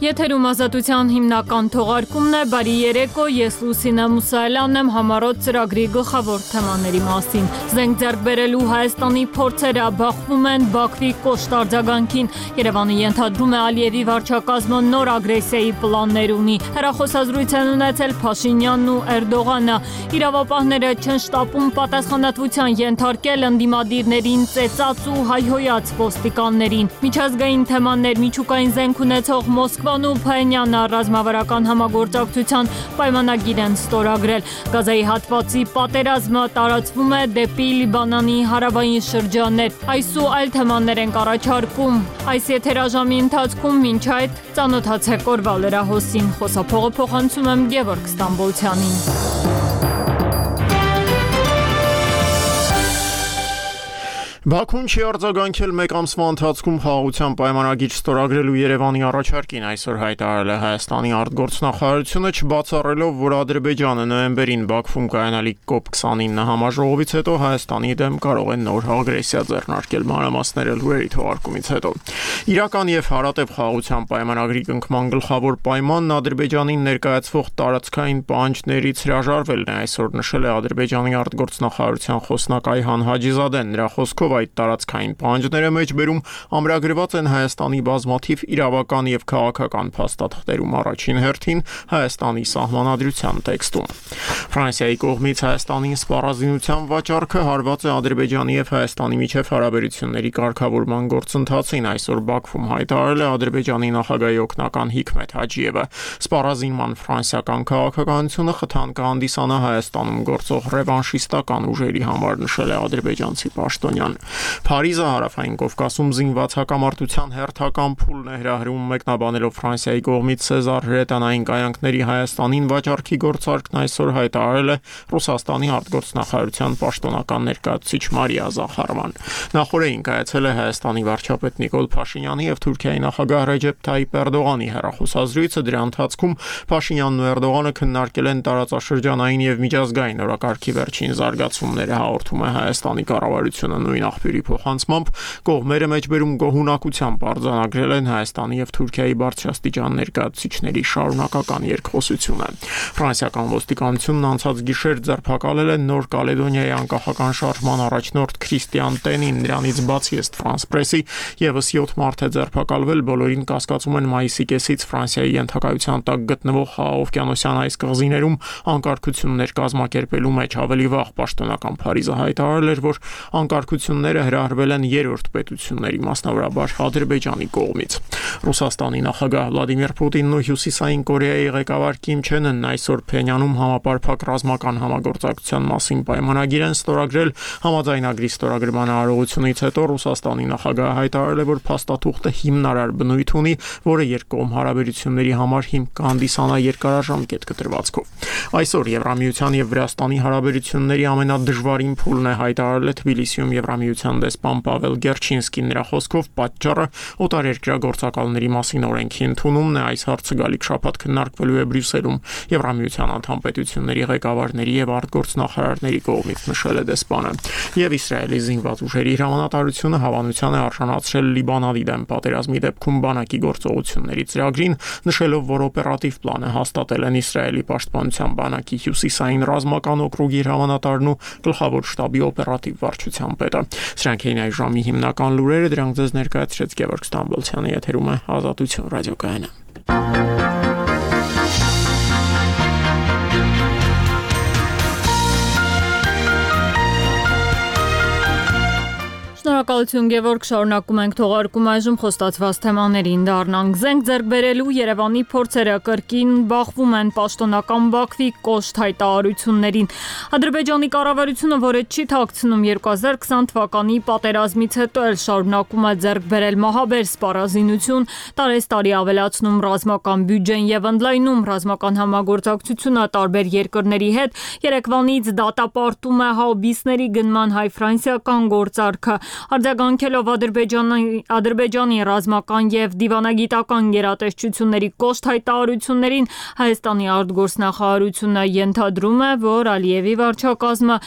Եթերում ազատության հիմնական թողարկումն է, բարի երեկո, ես Լուսինե Մուսայելյանն եմ, համառոտ ծրագրի գլխավոր թեմաների մասին։ Զենք ձեռք բերելու Հայաստանի փորձերը բախվում են Բաքվի կոշտ արձագանքին։ Երևանը ենթադրում է Ալիևի վարչակազմը նոր ագրեսիայի պլաններ ունի։ Հեռախոսազրույց են ունեցել Փաշինյանն ու Էրդողանը։ Իրավապահները չեն շտապում պատասխանատվության ենթարկել ընդդիմադիրներին ծեծած ու հայհոյած ոստիկաններին։ Միջազգային թեմաներ, միջուկային զենք ունեցող Մոսկվան ու Փայինյանը ռազմավարական համագործակցության պայմանագիր են ստորագրել։ Գազայի հատվածի պատերազմը տարածվում է դեպի Լիբանանի հարավային շրջաններ։ Այս ու այլ թեմաներ ենք առաջարկում այս եթերաժամի ընթացքում, մինչ այդ ծանոթացեք օրվա լրահոսին։ Խոսափողը փոխանցում եմ Գևորգ Ստամբոլցյանին։ Բաքուն չի արձագանքել մեկ ամսվա ընթացքում խաղաղության պայմանագիր ստորագրելու Երևանի առաջարկին, այսօր հայտարարել է Հայաստանի արտգործնախարարությունը, չբացառելով, որ Ադրբեջանը նոյեմբերին Բաքվում կայանալիք COP29 համաժողովից հետո Հայաստանի դեմ կարող է նոր ագրեսիա ձեռնարկել, մանրամասները լուրերի թողարկումից հետո։ Իրական եւ հարատեւ խաղաղության պայմանագրի կնքման գլխավոր պայմանն Ադրբեջանին ներկայացվող տարածքային պահանջներից հրաժարվելն է, այսօր նշել է Ադրբեջանի արտգործնախարարության խոսնակ Այհան Հաջիզադեն, նրա խոսքով այդ տարածքային պահանջները մեջբերում ամրագրված են Հայաստանի բազմաթիվ իրավական եւ քաղաքական փաստաթղթերում, առաջին հերթին Հայաստանի սահմանադրության տեքստում։ Ֆրանսիայի կողմից Հայաստանին սպառազինության վաճառքը հարված է Ադրբեջանի եւ Հայաստանի միջև հարաբերությունների կարգավորման գործընթացին, այսօր Բաքվում հայտարարել է Ադրբեջանի նախագահի օգնական Հիքմեթ Հաջիևը։ Սպառազինման ֆրանսիական քաղաքականությունը խթան կհանդիսանա Հայաստանում գործող ռևանշիստական ուժերի համար, նշել է ադրբեջանցի պաշտոնյան։ Փարիզը հարավային Կովկասում զինված հակամարտության հերթական փուլն է հրահրում, մեկնաբանելով Ֆրանսիայի կողմից Սեզար հրետանային կայանքների Հայաստանին վաճառքի գործարքն այսօր հայտարարել է Ռուսաստանի արտգործնախարարության պաշտոնական ներկայացուցիչ Մարիա Զախարովան։ Նախորդին կայացել է Հայաստանի վարչապետ Նիկոլ Փաշինյանի եւ Թուրքիայի նախագահ Ռեջեփ Թայիպ Էրդողանի հեռախոսազրույցը, դրա ընթացքում Փաշինյանն ու Էրդողանը քննարկել են տարածաշրջանային եւ միջազգային օրակարգի վերջին զարգացումները, հաղորդում է Հայաստանի կառավարությունը։ Նույն աղբյուրի փոխանցմամբ կողմերը մեջբերում գոհունակությամբ արձանագրել են Հայաստանի եւ Թուրքիայի բարձրաստիճան ներկայացուցիչների շարունակական երկխոսությունը։ Ֆրանսիական ոստիկանությունն անցած գիշեր ձերբակալել է Նոր Կալեդոնիայի անկախական շարժման առաջնորդ Քրիստիան Տենին, նրանից բացի ըստ France Press-ի եւս 7 մարդ է ձերբակալվել, բոլորին կասկածում են մայիսի կեսից Ֆրանսիայի ենթակայության տակ գտնվող Խաղաղօվկիանոսյան այս կղզիներում անկարգություններ կազմակերպելու մեջ։ Ավելի վաղ պաշտոնական Փարիզը հայտարարել էր, որ անկարգությունները հրահրվել են երրորդ պետությունների, մասնավորաբար Ադրբեջանի կողմից։ Ռուսաստանի նախագահ Վլադիմիր Պուտինն ու Հյուսիսային Կորեայի ղեկավար Կիմ Չեն Ընն այսօր Փենյանում համապարփակ ռազմական համագործակցության մասին պայմանագիր են ստորագրել։ Համաձայնագրի ստորագրման արարողությունից հետո Ռուսաստանի նախագահը հայտարարել է, որ փաստաթուղթը հիմնարար բնույթ ունի, որը երկկողմ հարաբերությունների համար հիմք կհանդիսանա երկարաժամկետ կտրվածքով։ Այսօր Եվրամիության եւ Վրաստանի հարաբերությունների ամենադժվարին փուլն է, հայտարարել է Թբիլիսիում Եվրամիության դեսպան Պավել Գերչինսկին, նրա խոսքով պատճառը օտարերկրյա գործակալների մասին օրենքի ընդունումն է, այս հարցը գալիք շաբաթ քննարկվելու է Բրյուսելում Եվրամիության անդամ պետությունների ղեկավարների եւ արտգործնախարարների կողմից, նշել է դեսպանը։ Եվ Իսրայելի զինված ուժերի հրամանատարությունը հավանության է արժանացրել Լիբանանի դեմ պատերազմի դեպքում բանակի գործողությունների ծրագրին, նշելով, որ օպերատիվ պլանը հաստատել են Իսրայելի պաշտպանության բանակի հյուսիսային ռազմական օկրուգի հրամանատարն ու գլխավոր շտաբի օպերատիվ վարչության պետը։ Սրանք էին այս ժամի հիմնական լուրերը, դրանք ձեզ ներկայացրեց Գևորգ Ստամբոլցյանը, եթերում է Ազատություն ռադիոկայանը։ Շնորհակալություն Գևորգ, շարունակում ենք թողարկում, այժմ խոստացված թեմաներին դառնանք։ Զենք ձեռք բերելու Երևանի փորձերը կրկին բախվում են պաշտոնական Բաքվի կոշտ հայտարարություններին։ Ադրբեջանի կառավարությունը, որը չի թաքցնում 2020 թվականի պատերազմից հետո էլ շարունակում է ձեռք բերել մահաբեր սպառազինություն, տարեստարի ավելացնում ռազմական բյուջեն եւ ընդլայնում ռազմական համագործակցությունը տարբեր երկրների հետ, երեկվանից դատապարտում է հաուբիսների գնման հայ-ֆրանսիական գործարքը։ Արձագանքելով Ադրբեջանի ռազմական եւ դիվանագիտական գերատեսչությունների կոշտ հայտարարություններին, Հայաստանի արտգործնախարարությունը ենթադրում է, որ Ալիևի վարչակազմը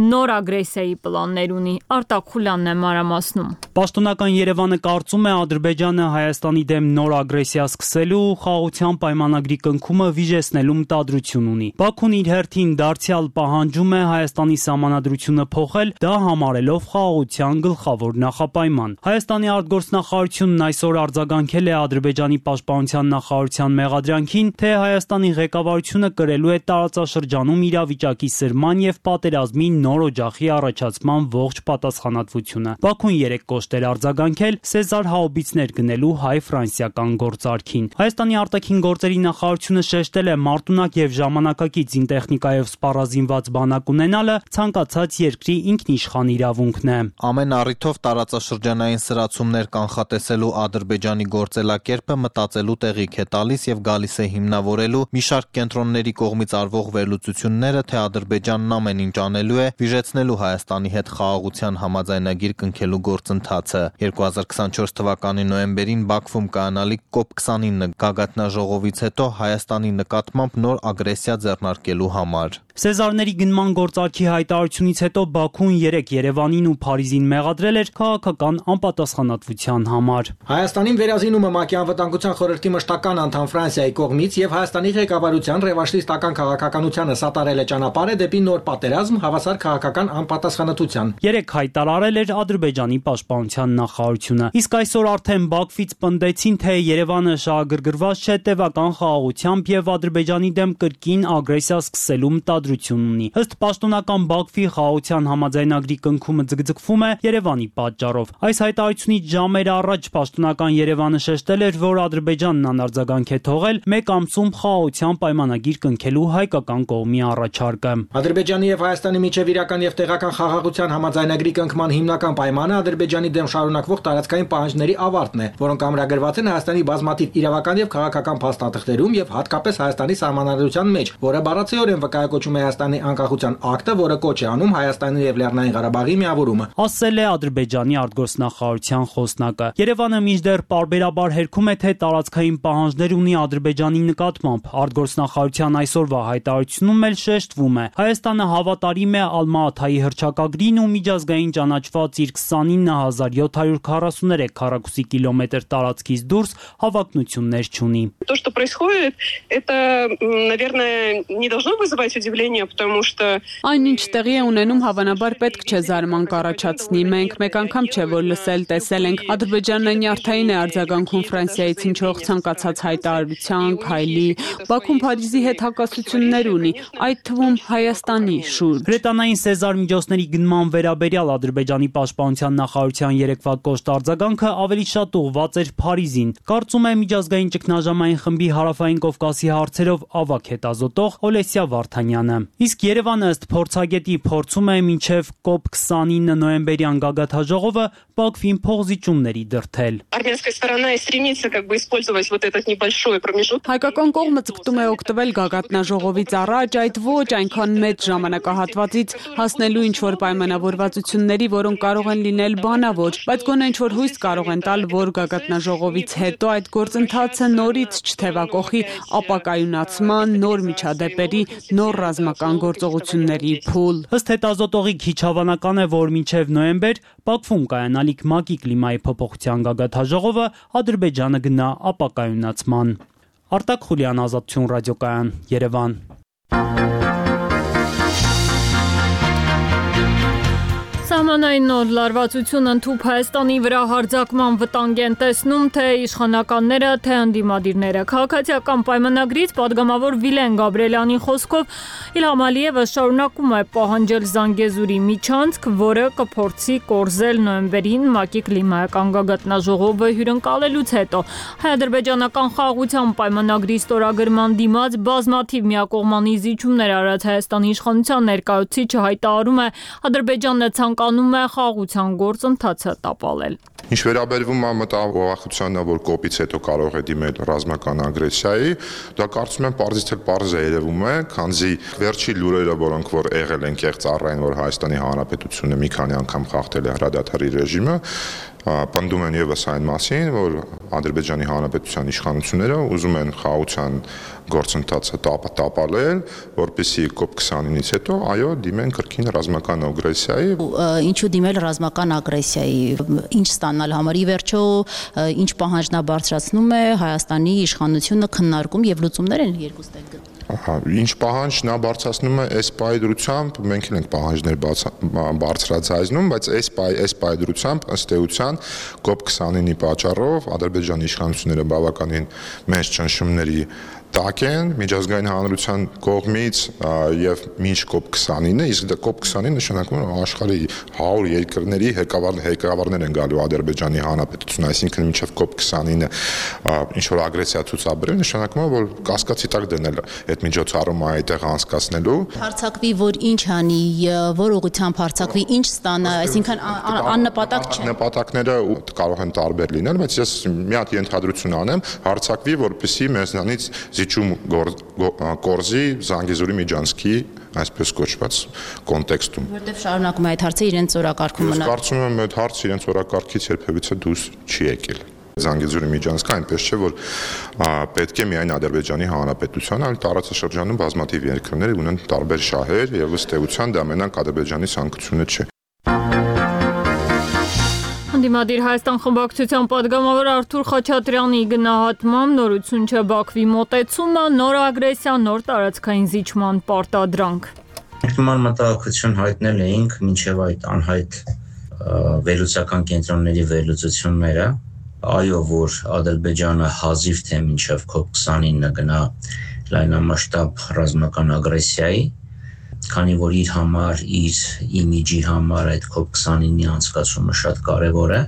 նոր ագրեսիայի պլաններ ունի։ Արտակ Խուլյանն է մանրամասնում։ Պաշտոնական Երևանը կարծում է Ադրբեջանը Հայաստանի դեմ նոր ագրեսիա սկսելու ու խաղաղության պայմանագրի կնքումը վիժեցնելու մտադրություն ունի։ Բաքուն իր հերթին դարձյալ պահանջում է Հայաստանի սահմանադրությունը փոխել, դա համարելով խաղաղության գլխավոր նախապայման։ Հայաստանի արտգործնախարարությունն այսօր արձագանքել է Ադրբեջանի պաշտպանության նախարարության մեղադրանքին, թե Հայաստանի ղեկավարությունը կրելու է տարածաշրջանում իրավիճակի սրման եւ պատերազմի նոր օջախի առաջացման ողջ պատասխանատվությունը։ Բաքուն երեք կոշտ էր արձագանքել Սեզար հաուբիցներ գնելու հայ-ֆրանսիական գործարքին։ Հայաստանի արտաքին գործերի նախարարությունը շեշտել է մարտունակ եւ ժամանակակից զինտեխնիկայով սպառազինված բանակ ունենալը ցանկացած երկրի ինքնիշխան իրավունքն է։ Ամեն առիթով տարածաշրջանային սրացումներ կանխատեսելու Ադրբեջանի գործելակերպը մտածելու տեղիք է տալիս եւ գալիս է հիմնավորելու մի շարք կենտրոնների կողմից արվող վերլուծությունները, թե Ադրբեջանն ամեն ինչ անելու է վիժեցնելու Հայաստանի հետ խաղաղության համաձայնագիր կնքելու գործընթացը։ 2024 թվականի նոյեմբերին Բաքվում կայանալիք COP29 գագաթնաժողովից հետո Հայաստանի նկատմամբ նոր ագրեսիա ձեռնարկելու համար։ Սեզարների գնման գործարքի հայտարարությունից հետո Բաքուն երեք Երևանին ու Փարիզին մեղադրել էր քաղաքական անպատասխանատվության համար։ Հայաստանին վերազինումը ՄԱԿ-ի անվտանգության խորհրդի մշտական անդամ Ֆրանսիայի կողմից եւ Հայաստանի ղեկավարության ռևանշիստական քաղաքականությանը սատարել է ճանապարհը դեպի նոր պատերազմ հավասար քաղաքական անպատասխանատվության։ Երեք հայտարարել էր Ադրբեջանի պաշտպանության նախարարությունը։ Իսկ այսօր արդեն Բաքվից պնդեցին, թե Երևանը շահագրգռված չէ տևական խաղաղությամբ եւ Ադրբեջանի դեմ կրկին ագրեսիա սկսելու մտադրություն ունի։ Ըստ պաշտոնական Բաքվի խաղաղության համաձայնագրի կնքումը ձգձգվում է Երևանի պատճառով։ Այս հայտարարությունից ժամեր առաջ պաշտոնական Երևանը շեշտել էր, որ Ադրբեջանն անարձագանք է թողել մեկ ամսում խաղաղության պայմանագիր կնքելու հայկական կողմի առաջարկը։ Ադրբեջանի եւ Հայաստանի միջև իրական եւ տեղական խաղաղության համաձայնագրի կնքման հիմնական պայմանը Ադրբեջանի դեմ շարունակվող տարածքային պահանջների ավարտն է, որոնք ամրագրված են Հայաստանի բազմաթիվ իրավական եւ քաղաքական փաստաթղթերում եւ հատկապես Հայաստանի սահմանադրության մեջ, որը բառացիորեն վկայակոչում է Հայաստանի անկախության ակտը, որը կոչ է անում Հայաստանի եւ Լեռնային Ղարաբաղի միավորումը։ Ասել է Ադրբեջանի արտգործնախարարության խոսնակը։ Երևանը մինչդեռ պարբերաբար հերքում է, թե տարածքային պահանջներ ունի Ադրբեջանի նկատմամբ։ Արտգործնախարարության այսօրվա հայտարարությունում էլ շեշտվում է. Հայաստանը հավատարիմ է Ալմա-Աթայի հռչակագրին ու միջազգային ճանաչված իր 29743 քառակուսի կիլոմետր տարածքից դուրս հավակնություններ չունի։ То, что происходит, это, наверное, не должно вызывать удивление, потому что Այն ինչ տեղի է ունենում, հավանաբար պետք չէ զարմանք առաջացնի։ Մենք մեկ անգամ չէ որ լսել, տեսել ենք Ադրբեջանն նյարդային է արձագանքում Ֆրանսիայից հնչող ցանկացած հայտարարության, քայլի։ Բաքուն Փարիզի հետ հակասություններ ունի, այդ թվում Հայաստանի շուրջ։ Բրետանային Սեզար միջոցների գնման վերաբերյալ Ադրբեջանի պաշտպանության նախարարության երեկվա կոշտ արձագանքը ավելի շատ ուղղված էր Փարիզին։ Կարծում է միջազգային ճգնաժամային խմբի հարավային Կովկասի հարցերով ավագ հետազոտող Օլեսիա Վարդանյանը։ Իսկ Երևանը ըստ փորձագետի փորձում է մինչև COP29 նոյեմբերյան գագաթնաժողովը Բաքվին փոխզիջումների դրդել։ армянская сторона и стремится как бы использовать вот этот небольшой промежуток. Հայկական կողմը ձգտում է օգտվել գագաթնաժողովից առաջ այդ ոչ այնքան մեծ ժամանակահատվածից հասնելու ինչ-որ պայմանավորվածությունների, որոնք կարող են լինել բանավոր, բայց գոնե ինչ-որ հույս կարող են տալ, որ գագաթնաժողովից հետո այդ գործընթացը նորից չթևակողի ապակայունացման, նոր միջադեպերի, նոր ռազմական գործողությունների փուլ։ Ըստ հետազոտողի քիչ հավանական է, որ մինչև նոյեմբեր Բաքվում կայանալիք ՄԱԿ-ի կլիմայի փոփոխության գագաթնաժողովը Ադրբեջանը գնա ապակայունացման։ Արտակ Խուլյան, Ազատություն ռադիոկայան, Երևան։ Սահմանային նոր լարվածությունը ընդհուպ Հայաստանի վրա հարձակման վտանգ են տեսնում թե իշխանականները, թե ընդդիմադիրները։ Քաղաքացիական պայմանագրից պատգամավոր Վիլեն Գաբրիելյանի խոսքով Իլհամ Ալիևը շարունակում է պահանջել Զանգեզուրի միջանցք, որը կփորձի կորզել նոյեմբերին ՄԱԿ-ի կլիմայական գագաթնաժողովը հյուրընկալելուց հետո։ Հայ-ադրբեջանական խաղաղության պայմանագրի ստորագրման դիմաց բազմաթիվ միակողմանի զիջումներ արած Հայաստանի իշխանության ներկայացուցիչը հայտարարում է Ադրբեջանն ցանկանում անվանում է խաղաղության գործընթացը տապալել։ Ինչ վերաբերվում է մտահոգությանը, որ կոպից հետո կարող է դիմել ռազմական ագրեսիայի, դա կարծում եմ պարզից էլ պարզ է երևում է, քանզի վերջի լուրերը, որոնք որ եղել են կեղծ առայն, որ Հայաստանի Հանրապետությունը մի քանի անգամ խախտել է հրադադարի ռեժիմը, պնդում են եւս այն մասին, որ Ադրբեջանի Հանրապետության իշխանությունները ուզում են խաղաղության գործընթացը տապալել, որպեսզի COP29-ից հետո այո դիմեն կրկին ռազմական ագրեսիայի։ Ինչու դիմել ռազմական ագրեսիայի, ինչ ստանալ համար, ի վերջո ինչ պահանջնա բարձրացնում է Հայաստանի իշխանությունը քննարկում եւ լուծումներ են երկուստեք գտնում։ Ինչ պահանջ նա բարձրացնում է այս պայդրությամբ, մենք էլ ենք պահանջներ բարձրացնում, բայց այս պայդրությամբ ըստ էության COP29-ի պատճառով Ադրբեջանի իշխանությունները բավականին մեծ ճնշումների տակ են միջազգային հանրության կողմից եւ մինչ COP29-ը, իսկ դա COP29 նշանակում է աշխարհի 100 երկրների ղեկավարներ են գալու Ադրբեջանի Հանրապետություն, այսինքն մինչեւ COP29-ը ինչ որ ագրեսիա ցուցաբերել, նշանակում է որ կասկածի տակ դնել այդ միջոցառումը այդտեղ անցկացնելու։ Հարձակվի, որ ինչ անի, որ ուղղությամբ հարձակվի, ինչ ստանա, այսինքն աննպատակ չէ։ Նպատակները կարող են տարբեր լինել, բայց ես մի հատ ենթադրություն անեմ, հարձակվի, որպեսզի մեզնանից զիջում կորզի Զանգեզուրի միջանցքի այսպես կոչված կոնտեքստում։ Որտեվ շարունակում է այդ հարցը իրենց օրակարգում մնալ։ Ես կարծում եմ այդ հարցը իրենց օրակարգից երբևիցե դուրս չի եկել։ Զանգեզուրի միջանցքը այնպես չէ, որ պետք է միայն Ադրբեջանի Հանրապետության, այլ տարածաշրջանում բազմաթիվ երկրներ ունեն տարբեր շահեր եւ ըստ էության դա մենակ Ադրբեջանի ցանկությունը չէ։ Դիմադիր Հայաստան խմբակցության պատգամավոր Արթուր Խաչատրյանի գնահատմամբ նորություն չէ Բաքվի մոտեցումը, նոր ագրեսիա, նոր տարածքային զիջման պարտադրանք։ Նման մտահոգություն հայտնել էինք մինչև այդ անհայտ վերլուծական կենտրոնների վերլուծությունները, այո, որ Ադրբեջանը հազիվ թե մինչև COP29-ը գնա լայնամասշտաբ ռազմական ագրեսիայի, քանի որ իր համար, իր իմիջի համար այդ COP29-ի անցկացումը շատ կարևոր է,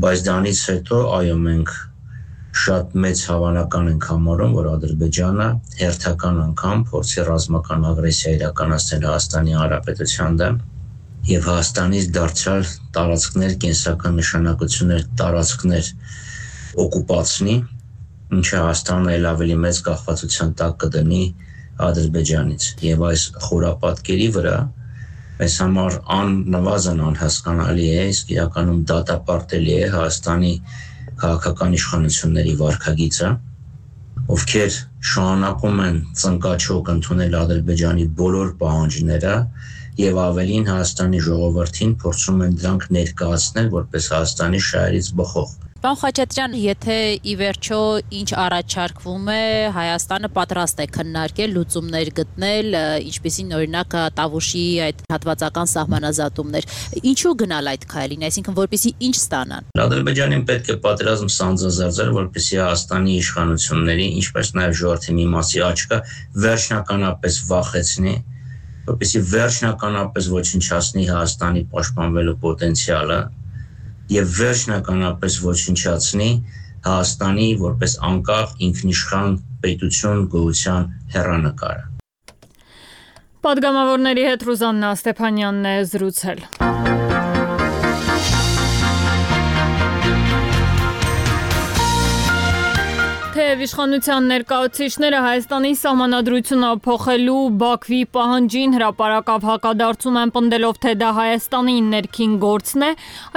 բայց դրանից հետո այո մենք շատ մեծ հավանական ենք համարում, որ Ադրբեջանը հերթական անգամ փորձի ռազմական ագրեսիա իրականացնել Հայաստանի Հանրապետության դեմ եւ Հայաստանից դարձյալ տարածքներ, կենսական նշանակություններ, տարածքներ օկուպացնի, ինչը Հայաստանը ել ավելի մեծ կախվածության տակ կդնի Ադրբեջանից եւ այս խորապատկերի վրա այս համար աննվազն անհասկանալի է, իսկ իրականում դատապարտելի է Հայաստանի քաղաքական իշխանությունների վարքագիծը, ովքեր շարունակում են ծնկաչոք ընդունել Ադրբեջանի բոլոր պահանջները եւ ավելին Հայաստանի ժողովրդին փորձում են դրանք ներկայացնել որպես Հայաստանի շահերից բխող։ Պարոն Խաչատրյան, եթե ի վերջո ինչ առաջարկվում է, Հայաստանը պատրաստ է քննարկել, լուծումներ գտնել, ինչպիսին օրինակ Տավուշի այդ հատվածական սահմանազատումներ, ինչու գնալ այդ քայլին, այսինքն որպեսզի ինչ ստանան։ Ադրբեջանին պետք է պատերազմ սանձազերծել, որպեսզի Հայաստանի իշխանությունների, ինչպես նաև ժողովրդի մի մասի աչքը վերջնականապես վախեցնի, որպեսզի վերջնականապես ոչնչացնի Հայաստանի պաշտպանվելու պոտենցիալը եւ վերջնականապես ոչնչացնի Հայաստանի որպես անկախ ինքնիշխան պետություն գոյության հեռանկարը։ Պատգամավորների հետ Ռուզաննա Ստեփանյանն է զրուցել։ Թեև իշխանության ներկայացուցիչները Հայաստանի սահմանադրությունը փոխելու Բաքվի պահանջին հրապարակավ հակադարձում են պնդելով, թե դա Հայաստանի ներքին գործն է,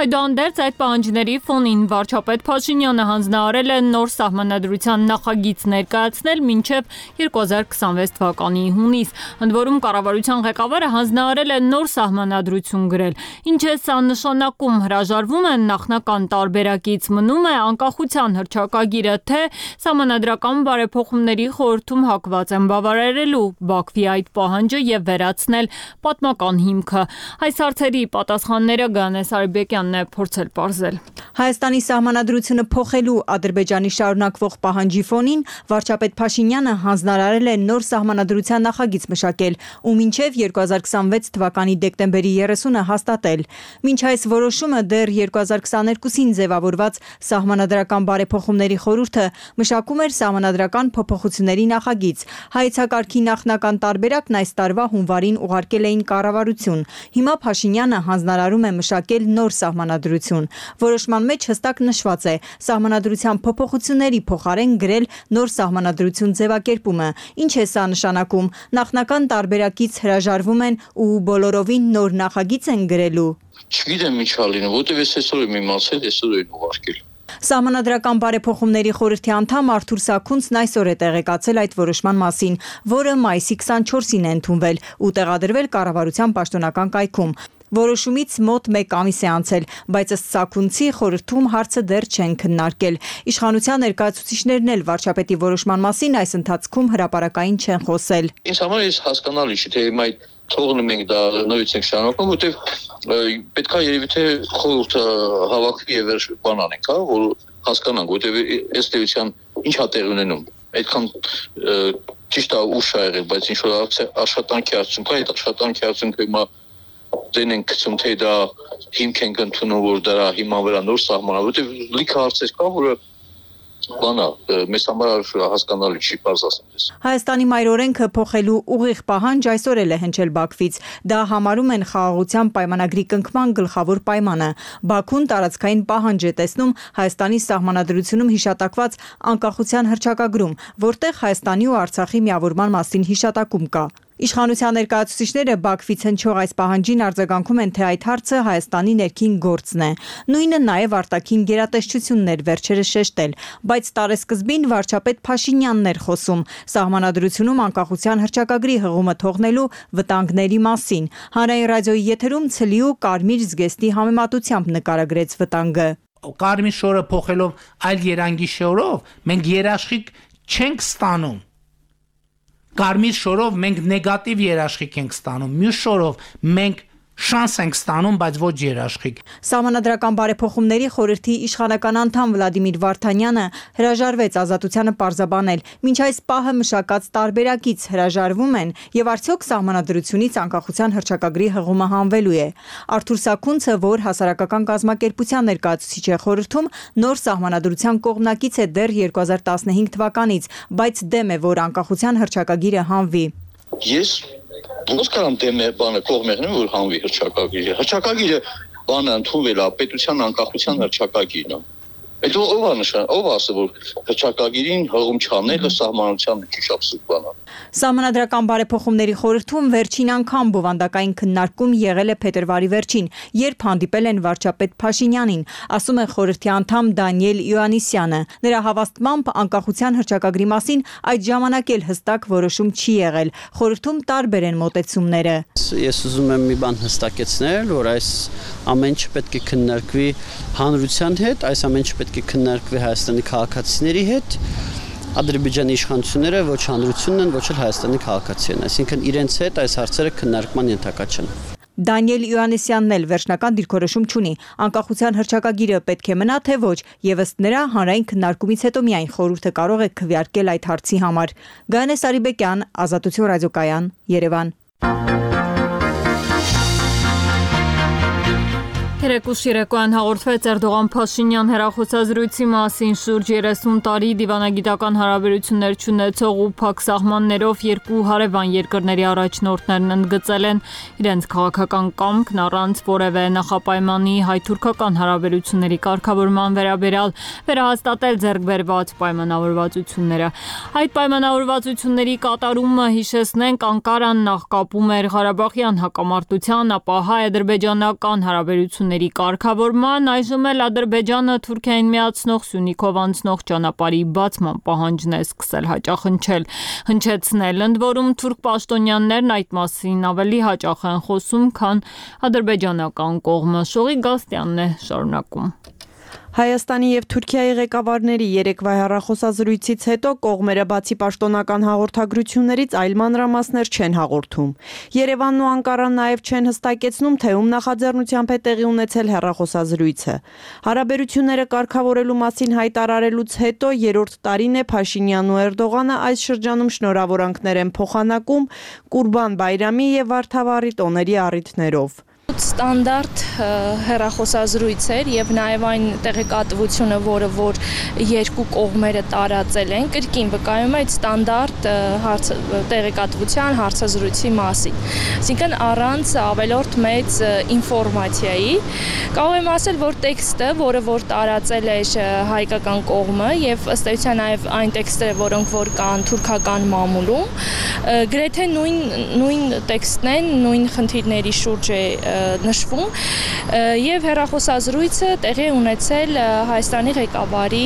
այդուհանդերձ այդ պահանջների ֆոնին վարչապետ Փաշինյանը հանձնարարել է նոր սահմանադրության նախագիծ ներկայացնել մինչև 2026 թվականի հունիս, ընդ որում կառավարության ղեկավարը հանձնարարել է նոր սահմանադրություն գրել։ Ինչ է սա նշանակում, հրաժարվում են նախնական տարբերակից, մնում է անկախության հռչակագիրը, թե Սահմանադրական բարեփոխումների խորհրդում հակված են բավարարելու Բաքվի այդ պահանջը եւ վերացնել պատմական հիմքը։ Այս հարցերի պատասխանները Գանես Արիբեկյանն է փորձել պարզել։ Հայաստանի սահմանադրությունը փոխելու Ադրբեջանի շարունակվող պահանջի ֆոնին վարչապետ Փաշինյանը հանձնարարել է նոր սահմանադրության նախագիծ մշակել ու մինչև 2026 թվականի դեկտեմբերի 30-ը հաստատել։ Մինչ այս որոշումը դեռ 2022-ին ձևավորված սահմանադրական բարեփոխումների խորհուրդը մշակում տարվում էր սահմանադրական փոփոխությունների նախագիծ։ Հայեցակարգի նախնական տարբերակն այս տարվա հունվարին ուղարկել էին կառավարություն։ Հիմա Փաշինյանը հանձնարարում է մշակել նոր սահմանադրություն։ Որոշման մեջ հստակ նշված է սահմանադրության փոփոխությունների փոխարեն գրել նոր սահմանադրություն ձևակերպումը։ Ինչ է սա նշանակում։ Նախնական տարբերակից հրաժարվում են ու բոլորովին նոր նախագիծ են գրելու։ Չգիտեմ ինչ ալինը, որտեվ ես այսօր եմ իմացել, այսօր են ուղարկել։ Սահմանադրական բարեփոխումների խորհրդի անդամ Արթուր Սաքունցն այսօր է տեղեկացել այդ որոշման մասին, որը մայիսի 24-ին է ընդունվել ու տեղադրվել կառավարության պաշտոնական կայքում։ Որոշումից մոտ 1 ամիս է անցել, բայց ըստ Սաքունցի խորհրդում հարցը դեռ չեն քննարկել։ Իշխանության ներկայացուցիչներն էլ վարչապետի որոշման մասին այս ընթացքում հրապարակային չեն խոսել։ Ինձ համար էս հասկանալի չէ, թե հիմա թողնում ենք դա նորից ենք շարունակում, որտեվ պետքա երևի թե խորհուրդը հավաքվի եւ բան անենք, հա, որ հասկանանք, որտեվ այս տերության ինչ է տեղ ունենում։ Այդքան ճիշտ է ուշ ա եղել, բայց ինչ որ աշխատանքի արդյունք է, այդ աշխատանքի արդյունքը հիմա դեն ենք գցում, թե դա հիմք ենք ընդունում, որ դա հիմա վրա նոր սահմանա, որտեվ լիքը հարցեր կա, որը բանա մեզ համար հասկանալի չի, բարձ ասեմ ես։ Հայաստանի մայրօրենքը փոխելու ուղիղ պահանջ այսօր էլ է հնչել Բաքվից։ Դա համարում են խաղաղության պայմանագրի կնքման գլխավոր պայմանը։ Բաքուն տարածքային պահանջ է տեսնում Հայաստանի սահմանադրությունում հիշատակված անկախության հռչակագրում, որտեղ Հայաստանի ու Արցախի միավորման մասին հիշատակում կա։ Իշխանության ներկայացուցիչները Բաքվից հնչող այս պահանջին արձագանքում են, թե այդ հարցը Հայաստանի ներքին գործն է։ Նույնը նաև արտաքին գերատեսչությունն էր վերջերս շեշտել, բայց տարեսկզբին վարչապետ Փաշինյանն էր խոսում սահմանադրությունում անկախության հռչակագրի հղումը թողնելու վտանգների մասին։ Հանրային ռադիոյի եթերում ցլի ու կարմիր զգեստի համեմատությամբ նկարագրեց վտանգը։ Կարմիր շորը փոխելով այլ երանգի շորով մենք երաշխիք չենք ստանում։ Կարմիր շորով մենք նեգատիվ երաշխիք ենք ստանում, մյուս շորով մենք շանս ենք ստանում, բայց ոչ երաշխիք։ Սահմանադրական բարեփոխումների խորհրդի իշխանական անդամ Վլադիմիր Վարդանյանը հրաժարվեց ազատությանը պարզաբանել, մինչ այս պահը մշակած տարբերակից հրաժարվում են եւ արդյոք սահմանադրությունից անկախության հռչակագրի հղումը հանվելու է։ Արթուր Սաքունցը, որ հասարակական կազմակերպության ներկայացուցիչ է խորհրդում, նոր սահմանադրության կողմնակից է դեռ 2015 թվականից, բայց դեմ է, որ անկախության հռչակագիրը հանվի։ Ես ոնց կարամ դեմ բանը կողմերն որ հանվի հռչակագիրը։ Հռչակագիրը բանը ընդունվել է պետության անկախության հռչակագիրն է։ Այդ ով ասել որ հռչակագիրին հղում չանելը սահմանության ճիշտ բան է։ Սահմանադրական բարեփոխումների խորհրդում վերջին անգամ բովանդակային քննարկում եղել է փետրվարի վերջին, երբ հանդիպել են վարչապետ Փաշինյանին, ասում է խորհրդի անդամ Դանիել Իոաննիսյանը։ Նրա հավաստմամբ անկախության հռչակագրի մասին այդ ժամանակ էլ հստակ որոշում չի եղել։ Խորհրդում տարբեր են մոտեցումները։ Ես ուզում եմ մի բան հստակեցնել, որ այս ամեն ինչ պետք է քննարկվի հանրության հետ, այս ամեն ինչ պետք է քննարկվի Հայաստանի քաղաքացիների հետ։ Ադրբեջանի իշխանությունները ոչ հանրությունն են, ոչ էլ Հայաստանի քաղաքացիներն, այսինքն իրենց հետ այս հարցերը քննարկման ենթակա չեն։ Դանիել Իոաննիսյանն էլ վերջնական դիրքորոշում չունի։ Անկախության հռչակագիրը պետք է մնա, թե ոչ, եւ ըստ նրա հանրային քննարկումից հետո միայն խորհուրդը կարող է քվեարկել այդ հարցի համար։ Գայանե Սարիբեկյան, Ազատություն ռադիոկայան, Երևան։ Երեկոյան հաղորդվեց Էրդողան Փաշինյան հեռախոսազրույցի մասին շուրջ 30 տարի դիվանագիտական հարաբերություններ չունեցող ու փակ սահմաններով երկու հարևան երկրների առաջնորդներն ընդգծել են իրենց քաղաքական կամքն առանց որևէ նախապայմանի հայ-թուրքական հարաբերությունների կարգավորման վերաբերյալ վերահաստատել ձեռք բերված պայմանավորվածությունները։ Այդ պայմանավորվածությունների կատարումը, հիշեցնենք, Անկարան նախ կապում էր Ղարաբաղյան հակամարտության, ապա հայ-ադրբեջանական հարաբերությունների կարգավորման, այժմ էլ Ադրբեջանը Թուրքիային միացնող Սյունիքով անցնող ճանապարհի բացման պահանջն է սկսել հնչեցնել, ընդ որում թուրք պաշտոնյաներն այդ մասին ավելի հաճախ են խոսում, քան ադրբեջանական կողմը։ Շողի Գաստյանն է շարունակում։ Հայաստանի եւ Թուրքիայի ղեկավարների երեկվա հեռախոսազրույցից հետո կողմերը բացի պաշտոնական հաղորդագրություններից այլ մանրամասներ չեն հաղորդում։ Երևանն ու Անկարան նաեւ չեն հստակեցնում, թե ում նախաձեռնությամբ է տեղի ունեցել հեռախոսազրույցը։ Հարաբերությունները կարգավորելու մասին հայտարարելուց հետո երրորդ տարին է Փաշինյանն ու Էրդողանը այս շրջանում շնորհավորանքներ են փոխանակում Կուրբան Բայրամի եւ Վարդավառի տոների առիթներով։ ստանդարտ հեռախոսազրույց էր եւ նաեւ այն տեղեկատվությունը, որը որ երկու կողմերը տարածել են, կրկին վկայում է այդ ստանդարտ տեղեկատվության հարցազրույցի մասին։ Այսինքն առանց ավելորդ մեծ ինֆորմացիայի կարող եմ ասել, որ տեքստը, որը որ տարածել էր հայկական կողմը եւ ըստ էության նաեւ այն տեքստերը, որոնք որ կան թուրքական մամուլում, գրեթե նույն տեքստն են, նույն խնդիրների շուրջ է նշվում եւ հեռախոսազրույցը տեղի ունեցել Հայաստանի ղեկավարի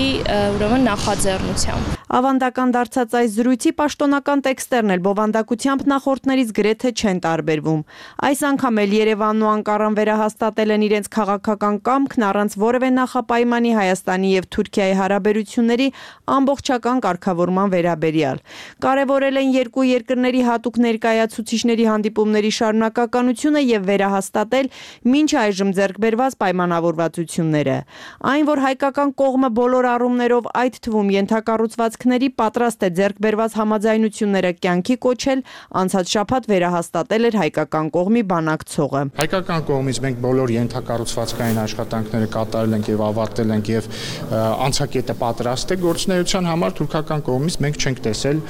ուրեմն նախաձեռնությամբ։ Ավանդական դարձած այս զրույցի պաշտոնական տեքստերն էլ բովանդակությամբ նախորդներից գրեթե չեն տարբերվում։ Այս անգամ էլ Երևանն ու Անկարան վերահաստատել են իրենց քաղաքական կամքն առանց որևէ նախապայմանի Հայաստանի եւ Թուրքիայի հարաբերությունների ամբողջական կարգավորման վերաբերյալ։ Կարևորել են երկու երկրների հատուկ ներկայացուցիչների հանդիպումների շարունակականությունը եւ վերահաստատել մինչ այժմ ձեռք բերված պայմանավորվածությունները։ Այն, որ հայկական կողմը բոլոր առումներով, այդ թվում ենթակառուցվածքների պատրաստ է ձեռք բերված համաձայնությունները կյանքի կոչել, անցած շաբաթ վերահաստատել էր հայկական կողմի բանակցողը։ Հայկական կողմից մենք բոլոր ենթակառուցվածքային աշխատանքները կատարել ենք եւ ավարտել ենք եւ անցակետը պատրաստ է գործունեության համար, թուրքական կողմից մենք չենք տեսել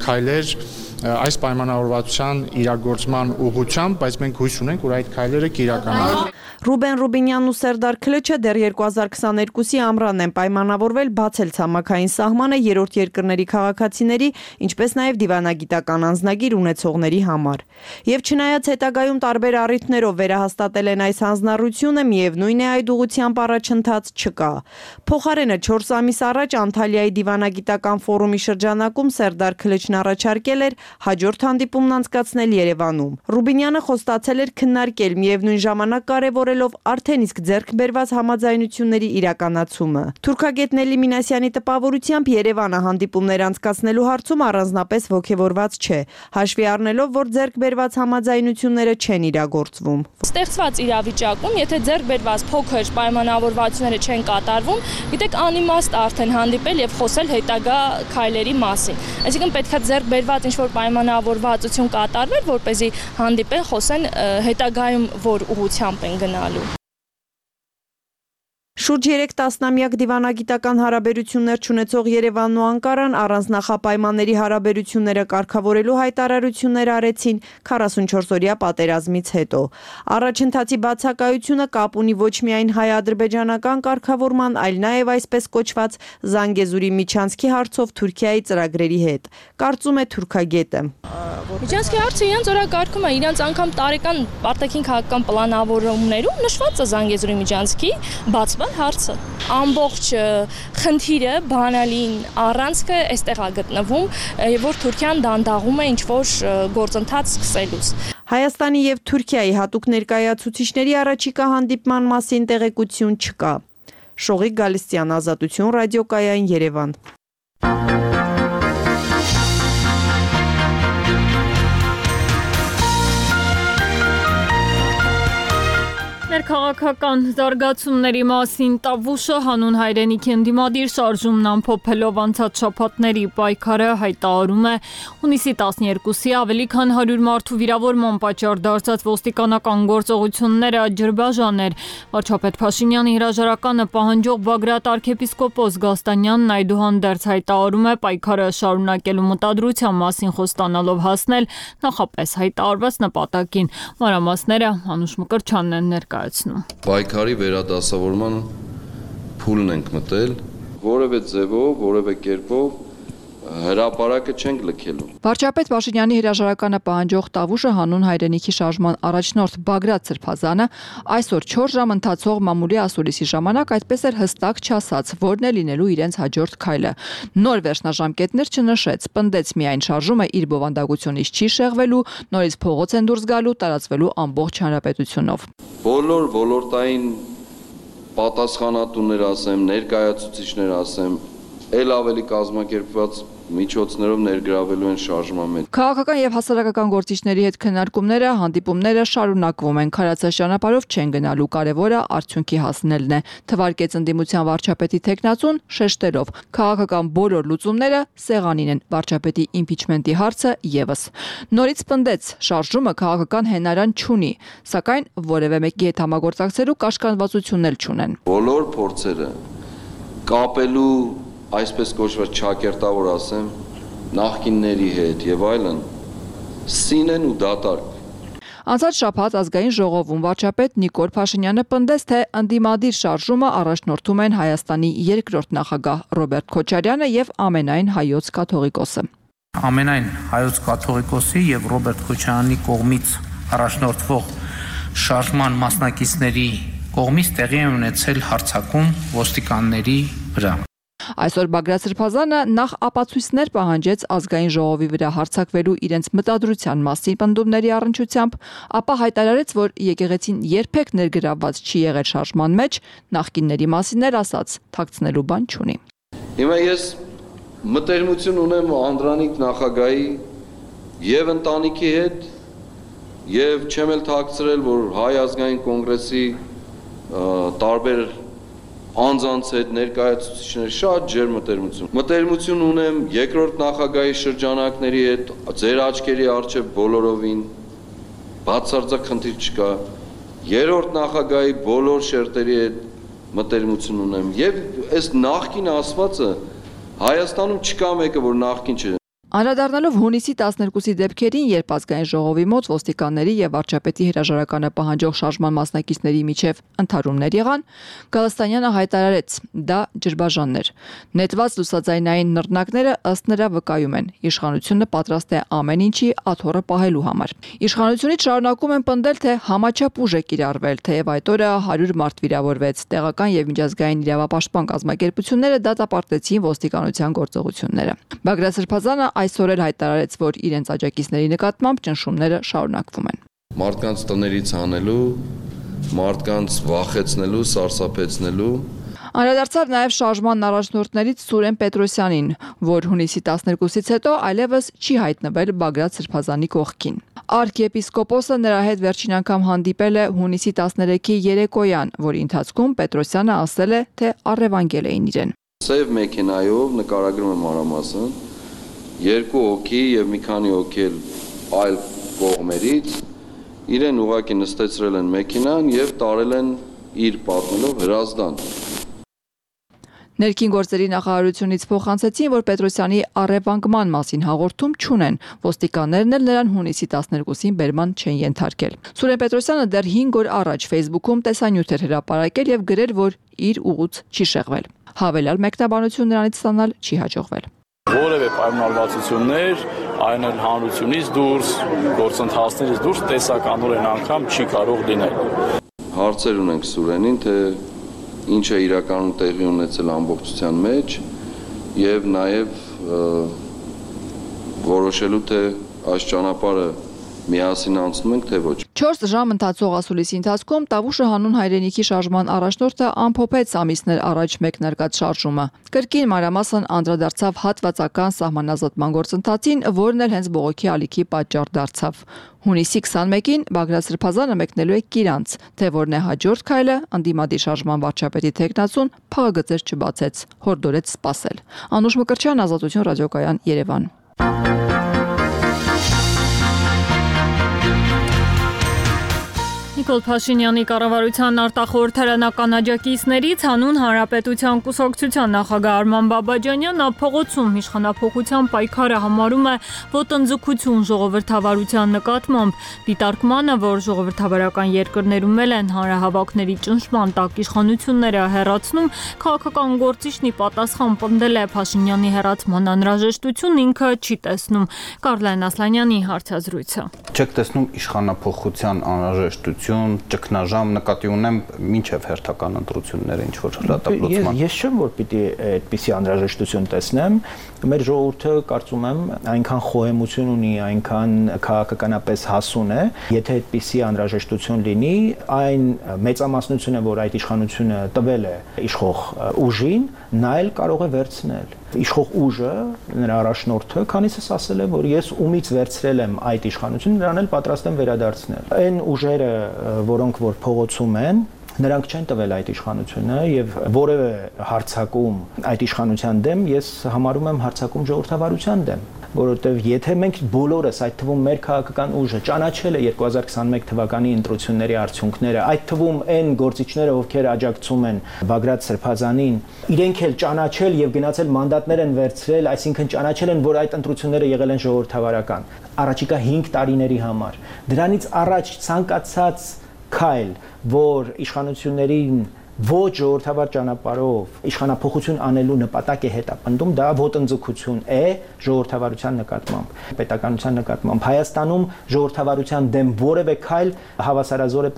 քայլեր այս պայմանավորվածության իրագործման ուղղությամբ, բայց մենք հույս ունենք, որ այդ քայլերը կիրականանան։ Ռուբեն Ռուբինյանն ու Սերդար Քլեչը դեռ 2022-ի ամռանն են պայմանավորվել բացել ցամաքային սահմանը երրորդ երկրների քաղաքացիների, ինչպես նաև դիվանագիտական անձնագիր ունեցողների համար։ Եվ չնայած հետագայում տարբեր առիթներով վերահաստատել են այս հանձնառությունը, միևնույն է այդ ուղղությամբ առաջընթաց չկա։ Փոխարենը 4 ամիս առաջ Անտալիայի դիվանագիտական ֆորումի շրջանակում Սերդար Քլեչն առաջարկել էր հաջորդ հանդիպումն անցկացնել Երևանում։ Ռուբինյանը խոստացել էր քննարկել միևնույն ժամանակ կարևորելով արդեն իսկ ձեռք բերված համաձայնությունների իրականացումը։ Թուրքագետ Նելի Մինասյանի տպավորությամբ Երևանը հանդիպումներ անցկացնելու հարցում առանձնապես ոգևորված չէ, հաշվի առնելով, որ ձեռք բերված համաձայնությունները չեն իրագործվում։ Ստեղծված իրավիճակում, եթե ձեռք բերված փոքր պայմանավորվածությունները չեն կատարվում, գիտեք, անիմաստ արդեն հանդիպել եւ խոսել հետագա քայլերի մասին։ Այսինքն պետքա ձեռք բերված ինչ-որ պայմանավորվածություն կատարվեր, որպեսզի հանդիպեն, խոսեն հետագայում որ ուղղությամբ են գնալու։ Շուրջ 3 տասնամյակ դիվանագիտական հարաբերություններ չունեցող Երևանն ու Անկարան առանց նախապայմանների հարաբերությունները կարգավորելու հայտարարություններ արեցին 44-օրյա պատերազմից հետո։ Առաջընթացի բացակայությունը կապ ունի ոչ միայն հայ-ադրբեջանական կարգավորման, այլ նաև այսպես կոչված Զանգեզուրի միջանցքի հարցով Թուրքիայի ծրագրերի հետ, կարծում է թուրքագետը։ Միջանցքի հարցը իրենց օրակարգում է, իրենց անգամ տարեկան արտաքին քաղաքական պլանավորումներում նշված է Զանգեզուրի միջանցքի բացման հարցը։ Ամբողջ խնդիրը, բանալին առանցքը այստեղ է գտնվում, եւ որ Թուրքիան դանդաղում է ինչ-որ գործընթաց սկսելուց։ Հայաստանի եւ Թուրքիայի հատուկ ներկայացուցիչների առաջիկա հանդիպման մասին տեղեկություն չկա։ Շողիկ Գալստյան, Ազատություն, ռադիոկայան, Երևան։ Ներքաղաքական զարգացումների մասին Տավուշը հանուն հայրենիքի ընդդիմադիր շարժումն ամփոփելով անցած շաբաթների պայքարը հայտարարում է հունիսի 12-ի ավելի քան 100 մարդու վիրավորման պատճառ դարձած ոստիկանական գործողությունները ջրբաժան էր։ Վարչապետ Փաշինյանի հրաժարականը պահանջող Բագրատ arczepiskopos Գաստանյանն այդուհանդերձ հայտարարում է պայքարը շարունակելու մտադրության մասին խոստանալով հասնել նախապես հայտարարված նպատակին։ Մանրամասները Անուշ Մկրտչյանն են ներկայացնում։ Պայքարի վերադասավորման փուլն ենք մտել, որևէ ձևով, որևէ կերպով հրապարակը չենք լքելու։ Վարչապետ Փաշինյանի հրաժարականը պահանջող Տավուշը հանուն հայրենիքի շարժման առաջնորդ Բագրատ Սրբազանը այսօր 4 ժամ ընթացող մամուլի ասուլիսի ժամանակ այդպես էր հստակ չասաց, որն է լինելու իրենց հաջորդ քայլը։ Նոր վերջնաժամկետներ չնշեց, պնդեց միայն շարժումը իր բովանդակությունից չի շեղվելու, նորից փողոց են դուրս գալու, տարածվելու ամբողջ հանրապետությունով։ Բոլոր ոլորտային պատասխանատուներ ասեմ, ներկայացուցիչներ ասեմ, ել ավելի կազմակերպված միջոցներով ներգրավելու են շարժման մեջ։ Քաղաքական եւ հասարակական գործիչների հետ քննարկումները, հանդիպումները շարունակվում են։ Քարացած ճանապարհով չեն գնալու, կարևորը արդյունքի հասնելն է, թվարկեց ընդդիմության վարչապետի տեխնացուն շեշտելով։ Քաղաքական բոլոր լուծումները սեղանին են, վարչապետի իմպիչմենտի հարցը եւս։ Նորից պնդեց, շարժումը քաղաքական հենարան չունի, սակայն որևէ մեկի հետ համագործակցելու կաշկանդվածությունն էլ չունեն։ Բոլոր փորձերը կապելու այսպես կոչված ճակերտավոր ասեմ, նախկինների հետ եւ այլն, սին են ու դատարկ։ Անցած շաբաթ ազգային ժողովում վարչապետ Նիկոլ Փաշինյանը պնդեց, թե ընդդիմադիր շարժումը առաջնորդում են Հայաստանի երկրորդ նախագահ Ռոբերտ Քոչարյանը եւ ամենայն հայոց կաթողիկոսը։ Ամենայն հայոց կաթողիկոսի եւ Ռոբերտ Քոչարյանի կողմից առաջնորդվող շարժման մասնակիցների կողմից տեղի է ունեցել հարձակում ոստիկանների վրա։ Այսօր Բագրատ Սրբազանը նախ ապացույցներ պահանջեց ազգային ժողովի վրա հարձակվելու իրենց մտադրության մասին պնդումների առնչությամբ, ապա հայտարարեց, որ եկեղեցին երբեք ներգրավված չի եղել շարժման մեջ, նախկինների մասին էլ ասաց, թաքցնելու բան չունի։ Հիմա ես մտերմություն ունեմ Անդրանիկ նախագահի եւ ընտանիքի հետ եւ չեմ էլ թաքցրել, որ Հայ ազգային կոնգրեսի տարբեր անձանց հետ ներկայացուցիչներ շատ ջեր մտերմություն ունեմ երկրորդ նախագահի շրջանակների հետ, ձեր աչքերի առջև բոլորովին բացարձակ խնդիր չկա, երրորդ նախագահի բոլոր շերտերի հետ մտերմություն ունեմ եւ այս նախկին ասվածը Հայաստանում չկա մեկը, որ նախկին չէ։ Անդրադառնալով հունիսի 12-ի դեպքերին, երբ ազգային ժողովի մոտ ոստիկանների եւ վարչապետի հրաժարականը պահանջող շարժման մասնակիցների միջև ընդհարումներ եղան, Գալստանյանը հայտարարեց, դա ջրբաժանն էր։ Նետված լուսաձայնային նռնակները ըստ նրա վկայում են, իշխանությունը պատրաստ է ամեն ինչի աթոռը պահելու համար։ Իշխանությունից շարունակում են պնդել, թե համաչափ ուժ է կիրառվել, թեև այդ օրը 100 մարդ վիրավորվեց, տեղական եւ միջազգային իրավապաշտպան կազմակերպությունները դատապարտեցին ոստիկանության գործողությունները։ Բագրատ Սրբազանը այսօր էլ հայտարարեց, որ իրենց աջակիցների նկատմամբ ճնշումները շարունակվում են։ Մարդկանց տներից հանելու, մարդկանց վախեցնելու, սարսափեցնելու Անդրադարձավ նաև շարժման առաջնորդներից Սուրեն Պետրոսյանին, որ հունիսի 12-ից հետո այլևս չի հայտնվել Բագրատ Սրբազանի կողքին։ Արքիեպիսկոպոսը նրա հետ վերջին անգամ հանդիպել է հունիսի 13-ի երեկոյան, որի ընթացքում Պետրոսյանը ասել է, թե առևանգել էին իրեն։ Սև մեքենայով նկարագրում եմ մանրամասն, երկու հոգի եւ մի քանի հոգի այլ կողմերից իրեն ուղակի նստեցրել են մեքենան եւ տարել են իր պատմելով հրազդան։ Ներքին գործերի նախարարությունից փոխանցեցին, որ Պետրոսյանի առևանգման մասին հաղորդում չունեն, ոստիկաններն էլ նրան հունիսի 12-ին բերման չեն ենթարկել։ Սուրեն Պետրոսյանը դեռ 5 օր առաջ Facebook-ում տեսանյութ էր հրապարակել եւ գրել, որ իր ուղուց չի շեղվել։ Հավելյալ մեկնաբանություն նրանից ստանալ չի հաջողվել։ Որևէ պայմանավորվածություններ, այն էլ հանրությունից դուրս, գործընթացներից դուրս տեսականորեն անգամ չի կարող լինել։ Հարցեր ունենք Սուրենին, թե ինչ է իրականում տեղի ունեցել ամբողջության մեջ եւ նաեւ որոշելու թե այս ճանապարհը միասին անցնում ենք թե ոչ։ 4 ժամ ընթացող ասուլիսի ընթացքում Տավուշը հանուն հայրենիքի շարժման առաջնորդը ամփոփեց ամիսներ առաջ մեկնարկած շարժումը։ Կրկին մանրամասն անդրադարձավ հատվածական սահմանազատման գործընթացին, որն էլ հենց բողոքի ալիքի պատճառ դարձավ։ Հունիսի 21-ին Բագրատ Սրբազանը մեկնելու է Կիրանց, թե որն է հաջորդ քայլը, ընդդիմադիր շարժման վարչապետի տեխնացուն փաղագծեր չբացեց, հորդորեց սպասել։ Անուշ Մկրտչյան, Ազատություն ռադիոկայան, Երևան։ Նիկոլ Փաշինյանի կառավարության արտախորհրդարանական աջակիցներից հանուն Հանրապետության կուսակցության նախագահ Արման Բաբաջանյանը փողոցում իշխանափոխության պայքարը համարում է ոտնձգություն ժողովրդավարության նկատմամբ, դիտարկմանը, որ ժողովրդավարական երկրներում էլ են հանրահավաքների ճնշման տակ իշխանությունները հեռացնում, քաղաքական գործիչն ի պատասխան պնդել է Փաշինյանի հեռացման անհրաժեշտություն ինքը չի տեսնում։ Կարլեն Ասլանյանի հարցազրույցը։ Չեք տեսնում իշխանափոխության անհրաժեշտություն ճգնաժամ նկատի ունեմ մինչև հերթական ընտրությունները ինչ որ հրատապլուծման։ Ես չեմ որ պիտի այդպիսի անհրաժեշտություն տեսնեմ, մեր ժողովուրդը կարծում եմ այնքան խոհեմություն ունի, այնքան քաղաքականապես հասուն է, եթե այդպիսի անհրաժեշտություն լինի, այն մեծամասնությունը, որ այդ իշխանությունը տվել է իշխող ուժին, նա էլ կարող է վերցնել։ Իշխող ուժը, նրա առաջնորդը, քանիսս ասել է, որ ես ումից վերցրել եմ այդ իշխանությունը, նրան էլ պատրաստ եմ վերադարձնել։ Այն ուժերը, որոնք որ փողոցում են, նրանք չեն տվել այդ իշխանությունը եւ որևէ հարցակում այդ իշխանության դեմ ես համարում եմ հարցակում ժողովրդավարության դեմ, որովհետեւ եթե մենք բոլորս, այդ թվում մեր քաղաքական ուժը ճանաչել է 2021 թվականի ընտրությունների արդյունքները, այդ թվում այն գործիչները, ովքեր աջակցում են Բագրատ Սրբազանին, իրենք էլ ճանաչել եւ գնացել մանդատներ են վերցրել, այսինքն ճանաչել են, որ այդ ընտրությունները եղել են ժողովրդավարական, առաջիկա 5 տարիների համար։ Դրանից առաջ ցանկացած քայլ, որ իշխանություններին ոչ ժողովրդավար ճանապարհով իշխանափոխություն անելու նպատակ է հետապնդում, դա ոտնձգություն է ժողովրդավարության նկատմամբ, պետականության նկատմամբ։ Հայաստանում ժողովրդավարության դեմ որևէ քայլ հավասարազոր է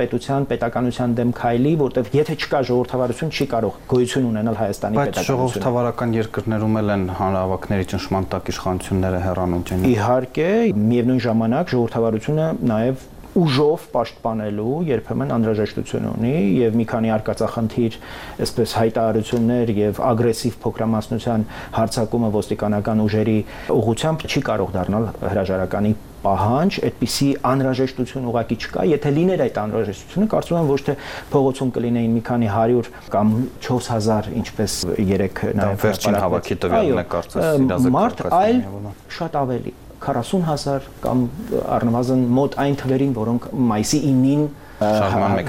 պետականության դեմ քայլի, որտեղ եթե չկա ժողովրդավարություն, չի կարող գոյություն ունենալ Հայաստանի պետականությունը։ Բայց ժողովրդավարական երկրներում էլ են հանրահավաքների ճնշման տակ իշխանությունները հեռանում չեն։ Իհարկե, միևնույն ժամանակ ժողովրդավարությունը նաև ուժով պաշտպանելու երբեմն անհրաժեշտություն ունի եւ մի քանի արկածախնդիր, այսպես հայտարարություններ եւ ագրեսիվ փոքրամասնության հարձակումը ոստիկանական ուժերի ուղղությամբ չի կարող դառնալ հրաժարականի պահանջ, այդպիսի անհրաժեշտություն ուղղակի չկա, եթե լիներ այդ անհրաժեշտությունը, կարծում եմ ոչ թե փողոցում կլինեին մի քանի 100 կամ 4000, ինչպես երեք նաեւ վերջին հավաքի տվյալն է կարծես մարդ, այլ շատ ավելի 40,000 կամ առնվազն մոտ այն թվերին, որոնք մայիսի 9-ին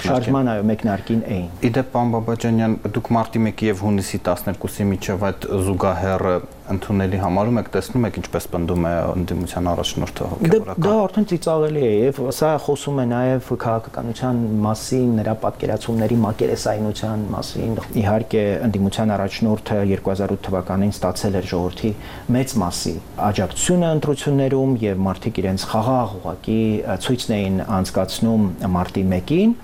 շարժման մեկնարկին էին։ Իդեպ պարոն Բաբաջանյան, դուք մարտի 1-ի եւ հունիսի 12-ի միջև այդ զուգահեռ ընդունելի համարում եք, տեսնում եք ինչպես պնդում է ընդդիմության առաջնորդը հոգեվորական։ Դա արդեն ծիծաղելի է եւ սա խոսում է նաեւ քաղաքականության մասին, նրա պատկերացումների մակերեսայնության մասին։ Իհարկե ընդդիմության առաջնորդը 2008 թվականին ստացել էր ժողովրդի մեծ մասի աջակցությունը ընտրություններում եւ մարդիկ իրենց խաղաղ ուղղակի ցույցն էին անցկացնում մարտի 1-ին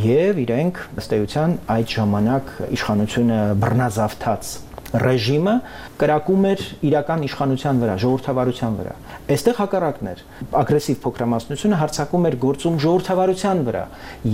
եւ իրենք ըստ էության այդ ժամանակ իշխանությունը բռնազավթած ռեժիմը կրակում էր իրական իշխանության վրա, ժողովրդավարության վրա։ Այստեղ հակառակն էր։ Ագրեսիվ փոքրամասնությունը հարձակում էր գործում ժողովրդավարության վրա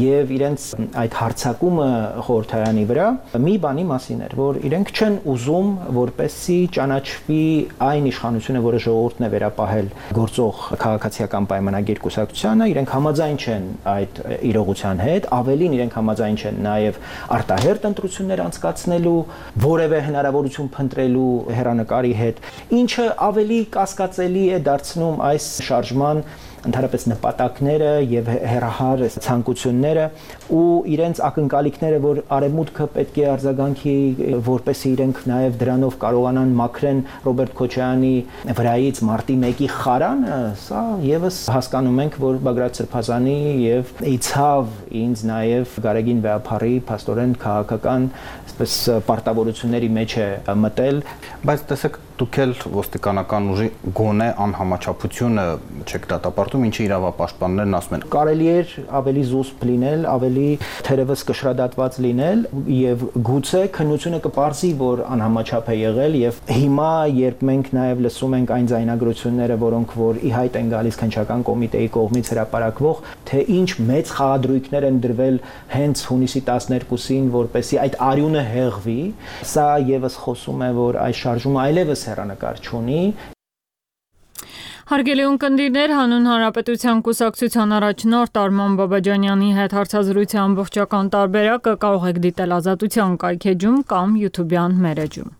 եւ իրենց այդ հարձակումը խորհրդարանի վրա մի բանի մասին էր, որ իրենք չեն ուզում, որպեսզի ճանաչվի այն իշխանությունը, որը ժողովուրդն է վերապահել գործող քաղաքացիական պայմանագիր կուսակցությանը, իրենք համաձայն չեն այդ իրողության հետ, ավելին իրենք համաձայն չեն նաեւ արտահերթ ընտրություններ անցկացնելու, որևէ հնարավորություն փնտրելու հերանեկարի հետ, ինչը ավելի կասկածելի է դարձնում այս շարժման ընդհանրապես նպատակները եւ հերահար ցանկությունները ու իրենց ակնկալիքները, որ արևմուտքը պետք է արձագանքի, որպեսզի իրենք նաեւ դրանով կարողանան մաքրեն Ռոբերտ Քոչարյանի վրայից մարտի 1-ի խարանը, սա եւս հասկանում ենք, որ Բագրատ Սրբազանի եւ իցավ ինձ նաեւ Գարեգին Վեհափարի փաստորեն քաղաքական այսպես պարտավորությունների մեջ է մտել, բայց տեսեք դուք էլ ոստիկանական ուժի գոնե անհամաչափությունը չեք դատապարտում, ինչի իրավապաշտպաններն ասում են։ Կարելի էր ավելի զուսպ լինել, ավելի թերևս կշռադատված լինել եւ գուցե քննությունը կպարզի, որ անհամաչափ է եղել եւ հիմա երբ մենք նաեւ լսում ենք այն ձայնագրությունները, որոնք որ ի հայտ են գալիս քննչական կոմիտեի կողմից հրապարակվող, թե ինչ մեծ խաղադրույքներ են դրվել հենց հունիսի 12-ին, որպեսզի այդ արյունը հեղվի, սա եւս խոսում է, որ այս շարժումը այլևս հեռանկար չունի։ Հարգելի ունկնդիրներ, հանուն Հանրապետության կուսակցության առաջնորդ Արման Բաբաջանյանի հետ հարցազրույցի ամբողջական տարբերակը կարող եք դիտել Ազատության կայքեջում կամ YouTube-յան մեր էջում։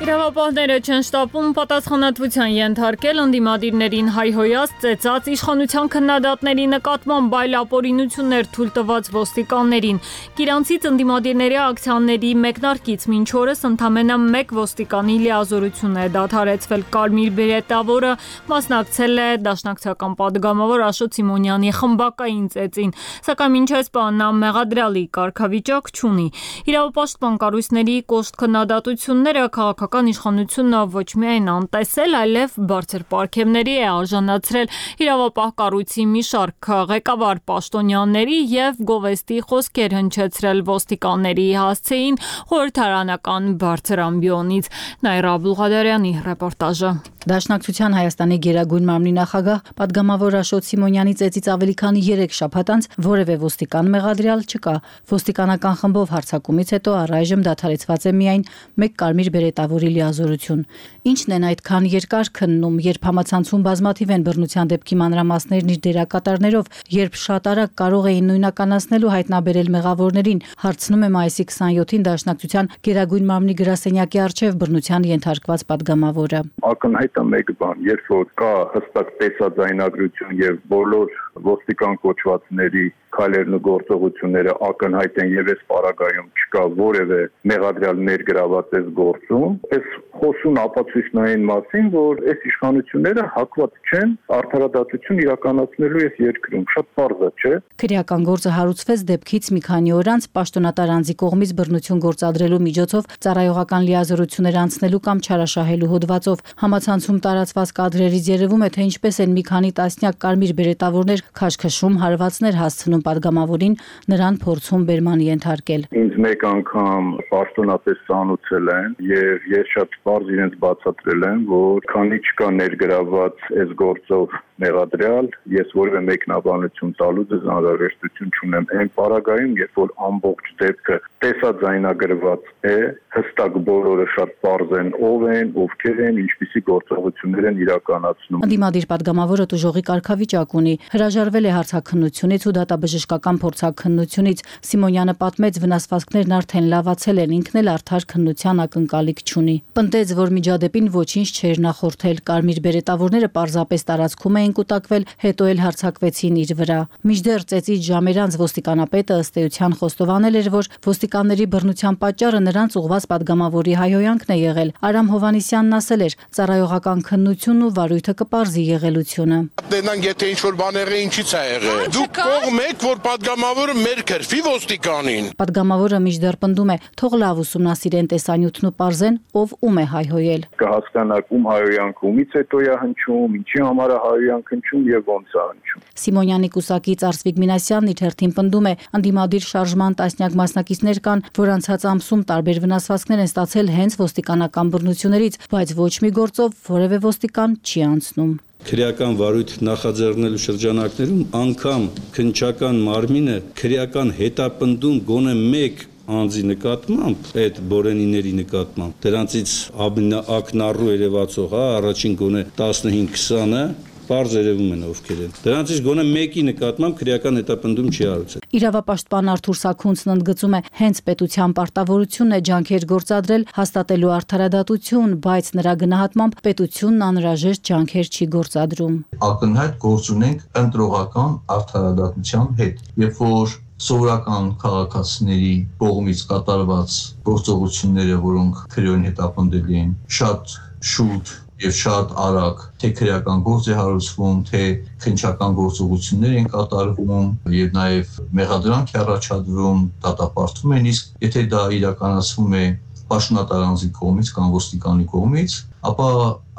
Իրավապահները չեն շտապում պատասխանատվության ենթարկել ընդդիմադիրներին հայհոյած ծեծած իշխանության քննադատների նկատմամբ այլապօրինություններ թույլ տված ոստիկաններին։ Գիրանցից ընդդիմադիրների ակցիաների մեկնարկից մինչ օրս ընդամենը 1 ոստիկանի լիազորություն է դադարեցվել։ Կարմիր բերետավորը մասնակցել է դաշնակցական падգամավոր Աշոտ Սիմոնյանի խմբակային ծեծին, սակայն մինչ այս բանն մեղադրյալի կարգավիճակ չունի։ Իրավապաշտպան կառույցների կոշտ քննադատությունները քաղաքական իշխանությունը ոչ միայն անտեսել, այլև բարձր պարգևների է արժանացրել իրավապահ կառույցի մի շարք ղեկավար պաշտոնյաների եւ գովեստի խոսքեր հնչեցրել ոստիկանների հասցեին խորհրդարանական բարձր ամբիոնից։ Նաիրա Աբուլղադարյանի ռեպորտաժը։ Դաշնակցության Հայաստանի Գերագույն մարմնի նախագահ պատգամավոր Աշոտ Սիմոնյանի ծեծից ավելի քան 3 շաբաթ անց որևէ ոստիկան մեղադրյալ չկա։ Ոստիկանական խմբով հարձակումից հետո առայժմ դադարեցված է միայն 1 կարմիր բերետավորի լիազորություն։ Ինչն են այդքան երկար քննում, երբ համացանցում բազմաթիվ են բռնության դեպքի մանրամասներն իր դերակատարներով, երբ շատ արագ կարող էին նույնականացնել ու հայտնաբերել մեղավորներին, հարցնում է մայիսի 27-ին Դաշնակցության Գերագույն մարմնի գրասենյակի առջև բռնության ենթարկված պատգամավորը։ Ակնհայտ է մեկ բան, երբ որ կա հստակ տեսաձայնագրություն եւ բոլոր ոստիկան կոչվածների քայլերն ու գործողությունները ակնհայտ են եւ այս պարագայում չկա որևէ մեղադրյալ ներգրաված այս գործում, այս խոսուն ապացույցնային մասին, որ այս իշխանությունները հակված չեն արդարադատություն իրականացնելու այս երկրում, շատ պարզ է, չէ՞։ Քրեական գործը հարուցվեց դեպքից մի քանի օր անց պաշտոնատար անձի կողմից բռնություն գործադրելու միջոցով ծառայողական լիազորություններ անցնելու կամ չարաշահելու հոդվածով։ Համացանցում տարածված կադրերից երևում է, թե ինչպես են մի քանի տասնյակ կարմիր բերետավորներ քաշքշում հարվածներ հասցնում պատգամավորին, նրան փորձում բերման ենթարկել։ Ինձ մեկ անգամ պաշտոնապես ծանուցել են եւ ես շատ պարզ իրենց բացատրել եմ, որ քանի չկա ներգրաված այս գործով մեղադրյալ, ես որևէ մեկնաբանություն տալու դες անհրաժեշտություն չունեմ։ Այն պարագայում, երբ որ ամբողջ դեպքը տեսաձայնագրված է, հստակ բոլորը շատ պարզ են, ով են, ովքեր են, ինչպիսի գործողություններ են իրականացնում։ Ընդդիմադիր պատգամավորը տուժողի կարգավիճակ ունի, հրաժարվել է հարցաքննությունից ու դատաբժշկական փորձաքննությունից։ Սիմոնյանը պատմեց, վնասվածքներն արդեն լավացել են, ինքն էլ արդար քննության ակնկալիք չունի։ Պնդեց, որ միջադեպին ոչինչ չէր նախորդել, կարմիր բերետավորները պարզապես տարածքում էին կուտակվել, հետո էլ հարձակվեցին իր վրա։ Մինչդեռ ծեծից ժամեր անց ոստիկանապետը ըստ էության խոստովանել էր, որ ոստիկանների բռնության պատճառը նրանց ուղղված պատգամավորի հայհոյանքն է եղել։ Արամ Հովհաննիսյանն ասել էր, ծառայողական քննությունն ու վարույթը կպարզի եղելությունը։ Դենան եթե ինչ-որ բան եղել, ինչից է եղել։ Դուք կողմ եք, որ պատգամավորը մեր քրֆի ոստիկանին։ Պատգամավորը մինչդեռ պնդում է, թող լավ ուսումնասիրեն տեսանյութն ու պարզեն, ով ում է հայհոյել։ Կհասկանաք ում հայհոյանքը ումից հետո է հնչում, ինչի համար է հայհոյանքը հնչում եւ ոնց է հնչում։ Սիմոնյանի կուսակից Արսվիկ Մինասյանն իր հերթին պնդում է, ընդդիմադիր շարժման տասնյակ մասնակիցներ կան, որ անցած ամսում տարբեր վնասվածքներ են ստացել հենց ոստիկանական բռնություններից, բայց ոչ մի գործով որևէ ոստիկան չի անցնում։ Քրեական վարույթ նախաձեռնելու շրջանակներում անգամ քննչական մարմինը քրեական հետապնդում գոնե մեկ անձի նկատմամբ, այդ բորենիների նկատմամբ, դրանցից ակնառու երևացող, առաջին գոնե 15-20-ը պարզ երևում են ովքեր են։ Դրանցից գոնե մեկի նկատմամբ քրեական հետապնդում չի արարվել։ Իրավապաշտպան Արթուր Սաքունցն ընդգծում է, հենց պետության պարտավորությունն է ջանքեր գործադրել հաստատելու արդարադատություն, բայց նրա գնահատմամբ պետությունն անհրաժեշտ ջանքեր չի գործադրում։ Ակնհայտ գործ ունենք ընտրողական արդարադատության հետ, երբ որ սովորական քաղաքացիների կողմից կատարված գործողությունները, որոնք քրեոն հետապնդելի են, շատ շուտ եւ շատ արագ թե քրեական գործ է հարուցվում, թե քննչական գործողություններ են կատարվում եւ նաեւ մեղադրանք է առաջադրվում, դատապարտվում են, իսկ եթե դա իրականացվում է պաշտոնատար անձի կողմից կամ ոստիկանի կողմից, ապա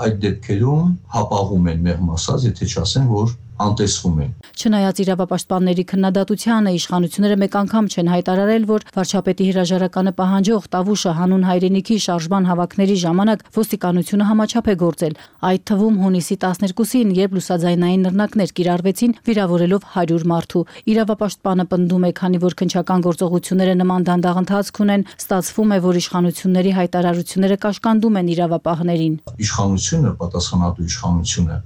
այդ դեպքերում հապաղում են մեղմ ասած, եթե չասեն, որ անտեսվում են։ Չնայած իրավապաշտպանների քննադատությանը, իշխանությունները մեկ անգամ չեն հայտարարել, որ վարչապետի հրաժարականը պահանջող Տավուշը հանուն հայրենիքի շարժման հավաքների ժամանակ ոստիկանությունը համաչափ է գործել, այդ թվում հունիսի 12-ին, երբ լուսաձայնային նռնակներ կիրառվեցին, վիրավորելով 100 մարդու։ Իրավապաշտպանը պնդում է, քանի որ քննչական գործողությունները նման դանդաղ ընթացք ունեն, ստացվում է, որ իշխանությունների հայտարարությունները կաշկանդում են իրավապահներին։ Իշխանությունը, պատասխանատու իշխանությունը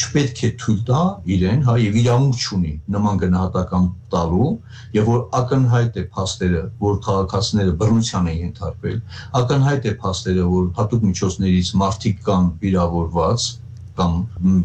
չպետք է թույլ տա իրեն, եւ իրավունք չունի նման գնահատական տալու, եւ որ ակնհայտ է փաստերը, որ քաղաքացիները բռնության են ենթարկվել, ակնհայտ է փաստերը, որ հատուկ միջոցներից մարդիկ կան վիրավորված կամ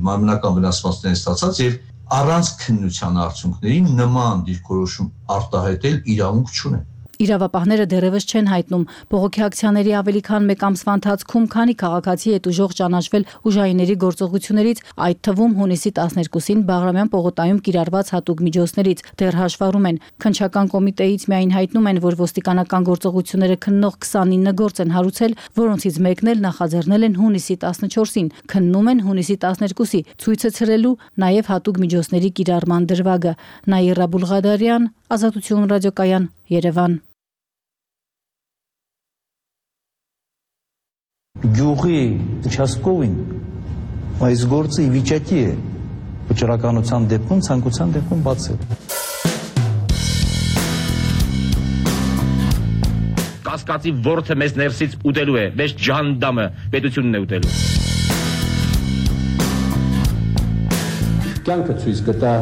մարմնական վնասվածքներ ստացած եւ առանց քննության արդյունքների նման դիրքորոշում արտահայտել իրավունք չունեն։ Իրավապահները դեռևս չեն հայտնում բողոքի ակցիաների ավելի քան 1 ամսվա ընթացքում քանի քաղաքացի հետ ուժող ճանաչվել ուժայինների գործողություններից, այդ թվում հունիսի 12-ին Բաղրամյան պողոտայում կիրառված հատուկ միջոցներից դեռ հաշվառում են։ Քննչական կոմիտեից միայն հայտնում են, որ ոստիկանական գործողությունները քննող 29 գործ են հարուցել, որոնցից մեկն էլ նախաձեռնել են հունիսի 14-ին, քննում են հունիսի 12-ի, ցույցը ցրելու նաև հատուկ միջոցների կիրառման դրվագը։ Նաիրա Բուլղադարյան, Ազատություն ռադիոկայան, Երևան։ Գյուղի участковին այս գործը ի վիճակի է վճռականության դեպքում, ցանկության դեպքում բացել։ Կասկածի ворթը մեզ ներսից ուտելու է, մեզ ջանդամը պետությունն է ուտելու։ Կյանքը ցույց կտա,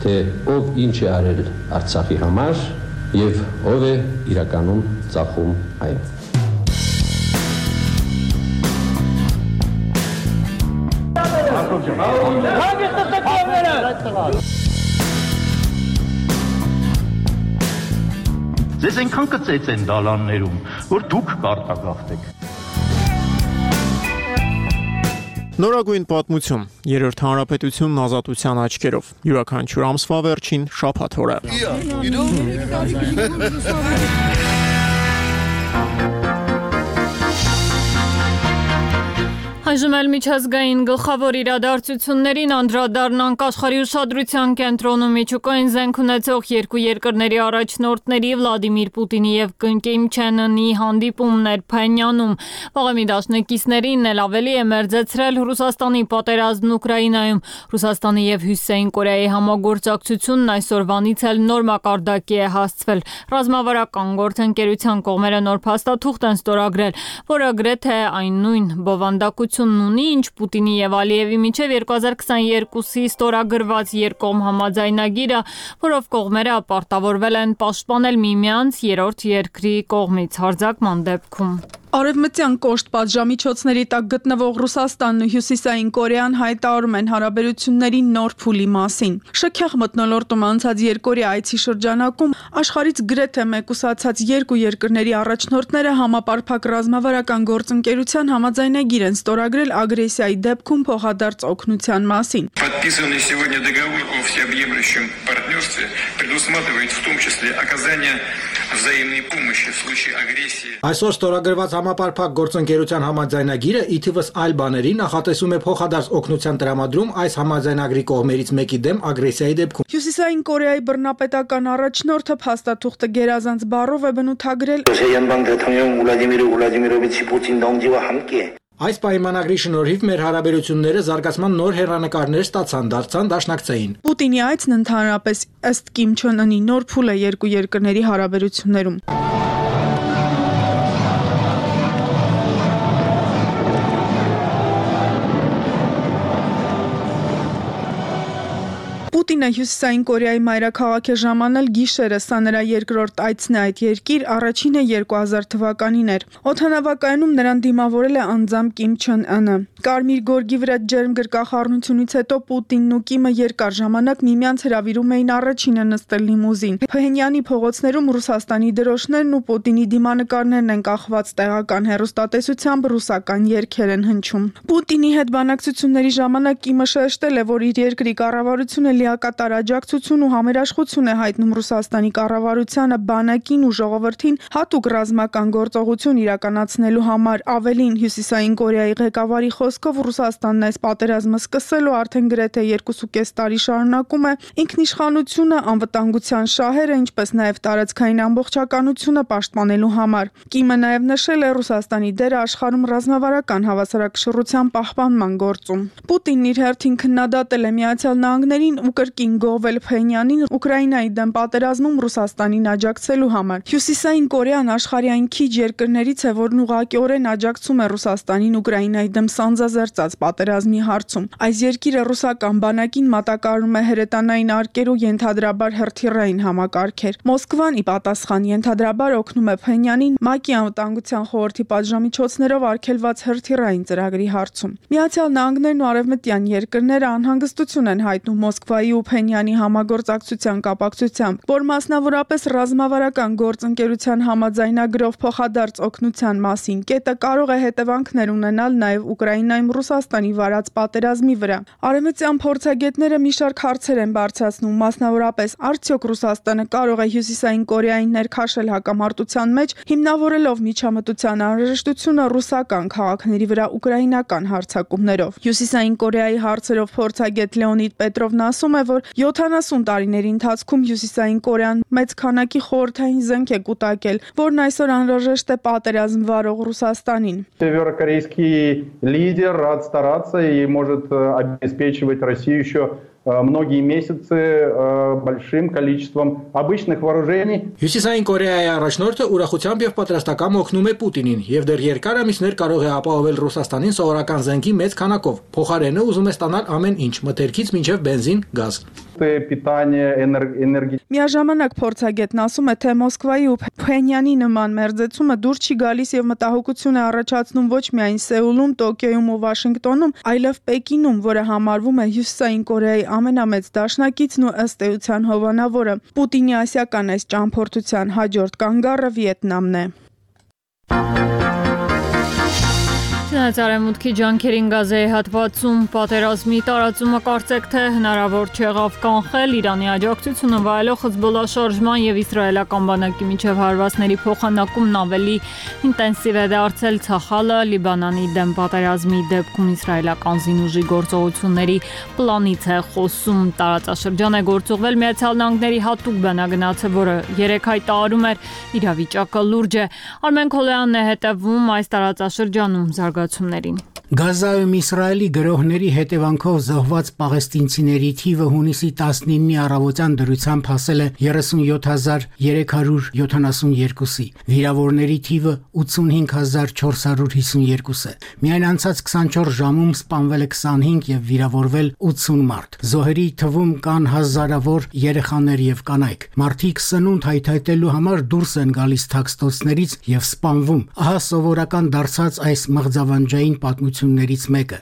թե ով ինչ է արել Արցախի համար եւ ով է իրականում ծախում այն։ Ձեզ այնքան կծեց են դալաններում, որ դուք կարտագաղթեք։ Նորագույն պատմություն, երրորդ հանրապետությունն ազատության աչքերով, յուրաքանչյուր ամսվա վերջին շաբաթ օրը։ Այժմ էլ միջազգային գլխավոր իրադարձություններին անդրադառնանք աշխարհի ուշադրության կենտրոնում միջուկային զենք ունեցող երկու երկրների առաջնորդների Վլադիմիր Պուտինի եւ Կիմ Չեն Ընի հանդիպումներ Փենյանում։ Վաղեմի դաշնակիցներին էլ ավելի է մերձեցրել Ռուսաստանի պատերազմն Ուկրաինայում։ Ռուսաստանի եւ Հյուսիսային Կորեայի համագործակցությունն այսօրվանից էլ նոր մակարդակի է հասցվել։ Ռազմավարական գործընկերության կողմերը նոր փաստաթուղթ են ստորագրել, որը գրեթե այն նույն բովանդակություն ունի, ինչ Պուտինի եւ Ալիևի միջև 2022-ի ստորագրված երկկողմ համաձայնագիրը, որով կողմերը պարտավորվել են պաշտպանել միմյանց երրորդ երկրի կողմից հարձակման դեպքում։ Արևմտյան կոշտ պատժամիջոցների տակ գտնվող Ռուսաստանն ու Հյուսիսային Կորեան հայտարարում են հարաբերությունների նոր փուլի մասին։ Շքեղ մթնոլորտում անցած երկօրյա այցի շրջանակում աշխարհից գրեթե մեկուսացած երկու երկրների առաջնորդները համապարփակ ռազմավարական գործընկերության համաձայնագիր են ստորագրել ագրեսիայի դեպքում փոխադարձ օգնության մասին։ Подписанный сегодня договор о всеобъемлющем партнерстве предусматривает в том числе оказание взаимной помощи в случае агрессии. Այսօր ստորագրված համապարփակ գործընկերության համաձայնագիրը ի թիվս այլ բաների նախատեսում է փոխադարձ օգնության տրամադրում այս համաձայնագրի կողմերից մեկի դեմ ագրեսիայի դեպքում։ Հյուսիսային Կորեայի բռնապետական առաջնորդը փաստաթուղթը գերազանց բառով է բնութագրել Այս պայմանագրի շնորհիվ մեր հարաբերությունները զարգացման նոր հեռանկարներ ստացան, դարձան դաշնակցային։ Պուտինի այցն ընդհանրապես ըստ Կիմ Չեն Ընի նոր փուլ է երկու երկրների հարաբերություններում։ Պուտինը Հյուսիսային Կորեայի մայրաքաղաք է ժամանել գիշերը, սա նրա երկրորդ այցն է այդ երկիր, առաջինը 2000 թվականին էր։ Օդանավակայանում նրան դիմավորել է անձամբ Կիմ Չեն Ընը։ Կարմիր գորգի վրա ջերմ գրկախառնությունից հետո Պուտինն ու Կիմը երկար ժամանակ միմյանց հրավիրում էին առաջինը նստել լիմուզին։ Փհենյանի փողոցներում Ռուսաստանի դրոշներն ու Պուտինի դիմանկարներն են կախված, տեղական հեռուստատեսությամբ ռուսական երգեր են հնչում։ Պուտինի հետ բանակցությունների ժամանակ Կիմը շեշտել է, որ իր երկրի կառավարությունը լիակատար աջակցություն ու համերաշխություն է հայտնում Ռուսաստանի կառավարությանը, բանակին ու ժողովրդին հատուկ ռազմական գործողություն իրականացնելու համար։ Ավելին, Հյուսիսային Կորեայի ղեկավարի խոսքով Ռուսաստանն այս պատերազմը սկսելու արդեն գրեթե 2.5 տարի շարունակում է ինքնիշխանությունը, անվտանգության շահերը, ինչպես նաև տարածքային ամբողջականությունը պաշտպանելու համար։ Կիմը նաև նշել է Ռուսաստանի դերը աշխարհում ռազմավարական հավասարակշռության պահպանման գործում։ Պուտինն իր հերթին քննադատել է Միացյալ Նահանգներին ու կրկին գողվել Փհենյանին Ուկրաինայի դեմ պատերազմում Ռուսաստանին աջակցելու համար։ Հյուսիսային Կորեան աշխարհի այն քիչ երկրներից է, որն ուղղակիորեն աջակցում է Ռուսաստանին Ուկրաինայի դեմ սանձազերծած պատերազմի հարցում։ Այս երկիրը ռուսական բանակին մատակարարում է հրետանային արկեր ու ենթադրաբար հրթիռային համակարգեր։ Մոսկվան ի պատասխան ենթադրաբար օգնում է Փհենյանին ՄԱԿ-ի անվտանգության խորհրդի պատժամիջոցներով արգելված հրթիռային ծրագրի հարցում։ Միացյալ Նահանգներն ու արևմտյան երկրները անհանգստություն են հայտնում Մոսկվայի ու Փենյանի համագործակցության կապակցությամբ, որ մասնավորապես ռազմավարական գործընկերության համաձայնագրով փոխադարձ օգնության մասին կետը կարող է հետևանքներ ունենալ նաև Ուկրաինայում Ռուսաստանի վարած պատերազմի վրա։ Արևմտյան փորձագետները մի շարք հարցեր են բարձրացնում, մասնավորապես արդյոք Ռուսաստանը կարող է Հյուսիսային Կորեային ներքաշել հակամարտության մեջ, հիմնավորելով միջամտության անհրաժեշտությունը ռուսական քաղաքների վրա ուկրաինական հարձակումներով։ Հյուսիսային Կորեայի հարցերով փորձագետ Լեոնիդ Պետրովն ասում է, որ 70 տարիների ընթացքում Հյուսիսային Կորեան մեծ քանակի խորհրդային զենք է կուտակել, որն այսօր անհրաժեշտ է պատերազմ վարող Ռուսաստանին։ Северокорейский лидер рад стараться и может обеспечивать Россию еще многие месяцы большим количеством обычных вооружений. Հյուսիսային Կորեայի առաջնորդը ուրախությամբ եւ պատրաստակամ օգնում է Պուտինին եւ դեռ երկար ամիսներ կարող է ապահովել Ռուսաստանին սովորական զենքի մեծ քանակով։ Փոխարենը ուզում է ստանալ ամեն ինչ՝ մթերքից մինչև բենզին, գազ։ Միաժամանակ փորձագետն ասում է, թե Մոսկվայի ու Փենյանի նման մերձեցումը դուր չի գալիս եւ մտահոգություն է առաջացնում ոչ միայն Սեուլում, Տոկիոյում ու Վաշինգտոնում, այլև Պեկինում, որը համարվում է Հյուսիսային Կորեայի ամենամեծ դաշնակիցն ու ըստ էության հովանավորը։ Պուտինի ասիական այս ճամփորդության հաջորդ կանգառը Վիետնամն է։ Արևմուտքի ջանքերին Գազայի հատվածում պատերազմի տարածումը կարծեք թե հնարավոր չեղավ կանխել Իրանի աջակցությունը վայելող Հեզբոլլահ շարժման եւ իսրայելական բանակի միջև հարվածների փոխանակումն ավելի ինտենսիվ է դարձել Ցախալը Լիբանանի դեմ պատերազմի դեպքում իսրայելական զինուժի գործողությունների պլանից է խոսում։ Տարածաշրջան է գործուղվել Միացյալ Նահանգների հատուկ բանագնացը, որը 3 հայտարարում էր իրավիճակը լուրջ է։ Արմեն Քոլոյանն է հետևում այս տարածաշրջանում զարգացումներին։ Գազայում Իսրայելի գրոհների հետևանքով զոհված պաղեստինցիների թիվը հունիսի 19-ի առավոտյան դրությամբ հասել է 37372-ի, վիրավորների թիվը 85452 է։ Միայն անցած 24 ժամում սպանվել է 25 եւ վիրավորվել 80 մարդ։ Զոհերի թվում կան հազարավոր երեխաներ եւ կանայք։ Մարդիկ սնունդ հայթայթելու համար դուրս են գալիս թաքստոցներից եւ սպանվում։ Ահա սովորական դարձած այս մղձավանջային պատմություններից մեկը։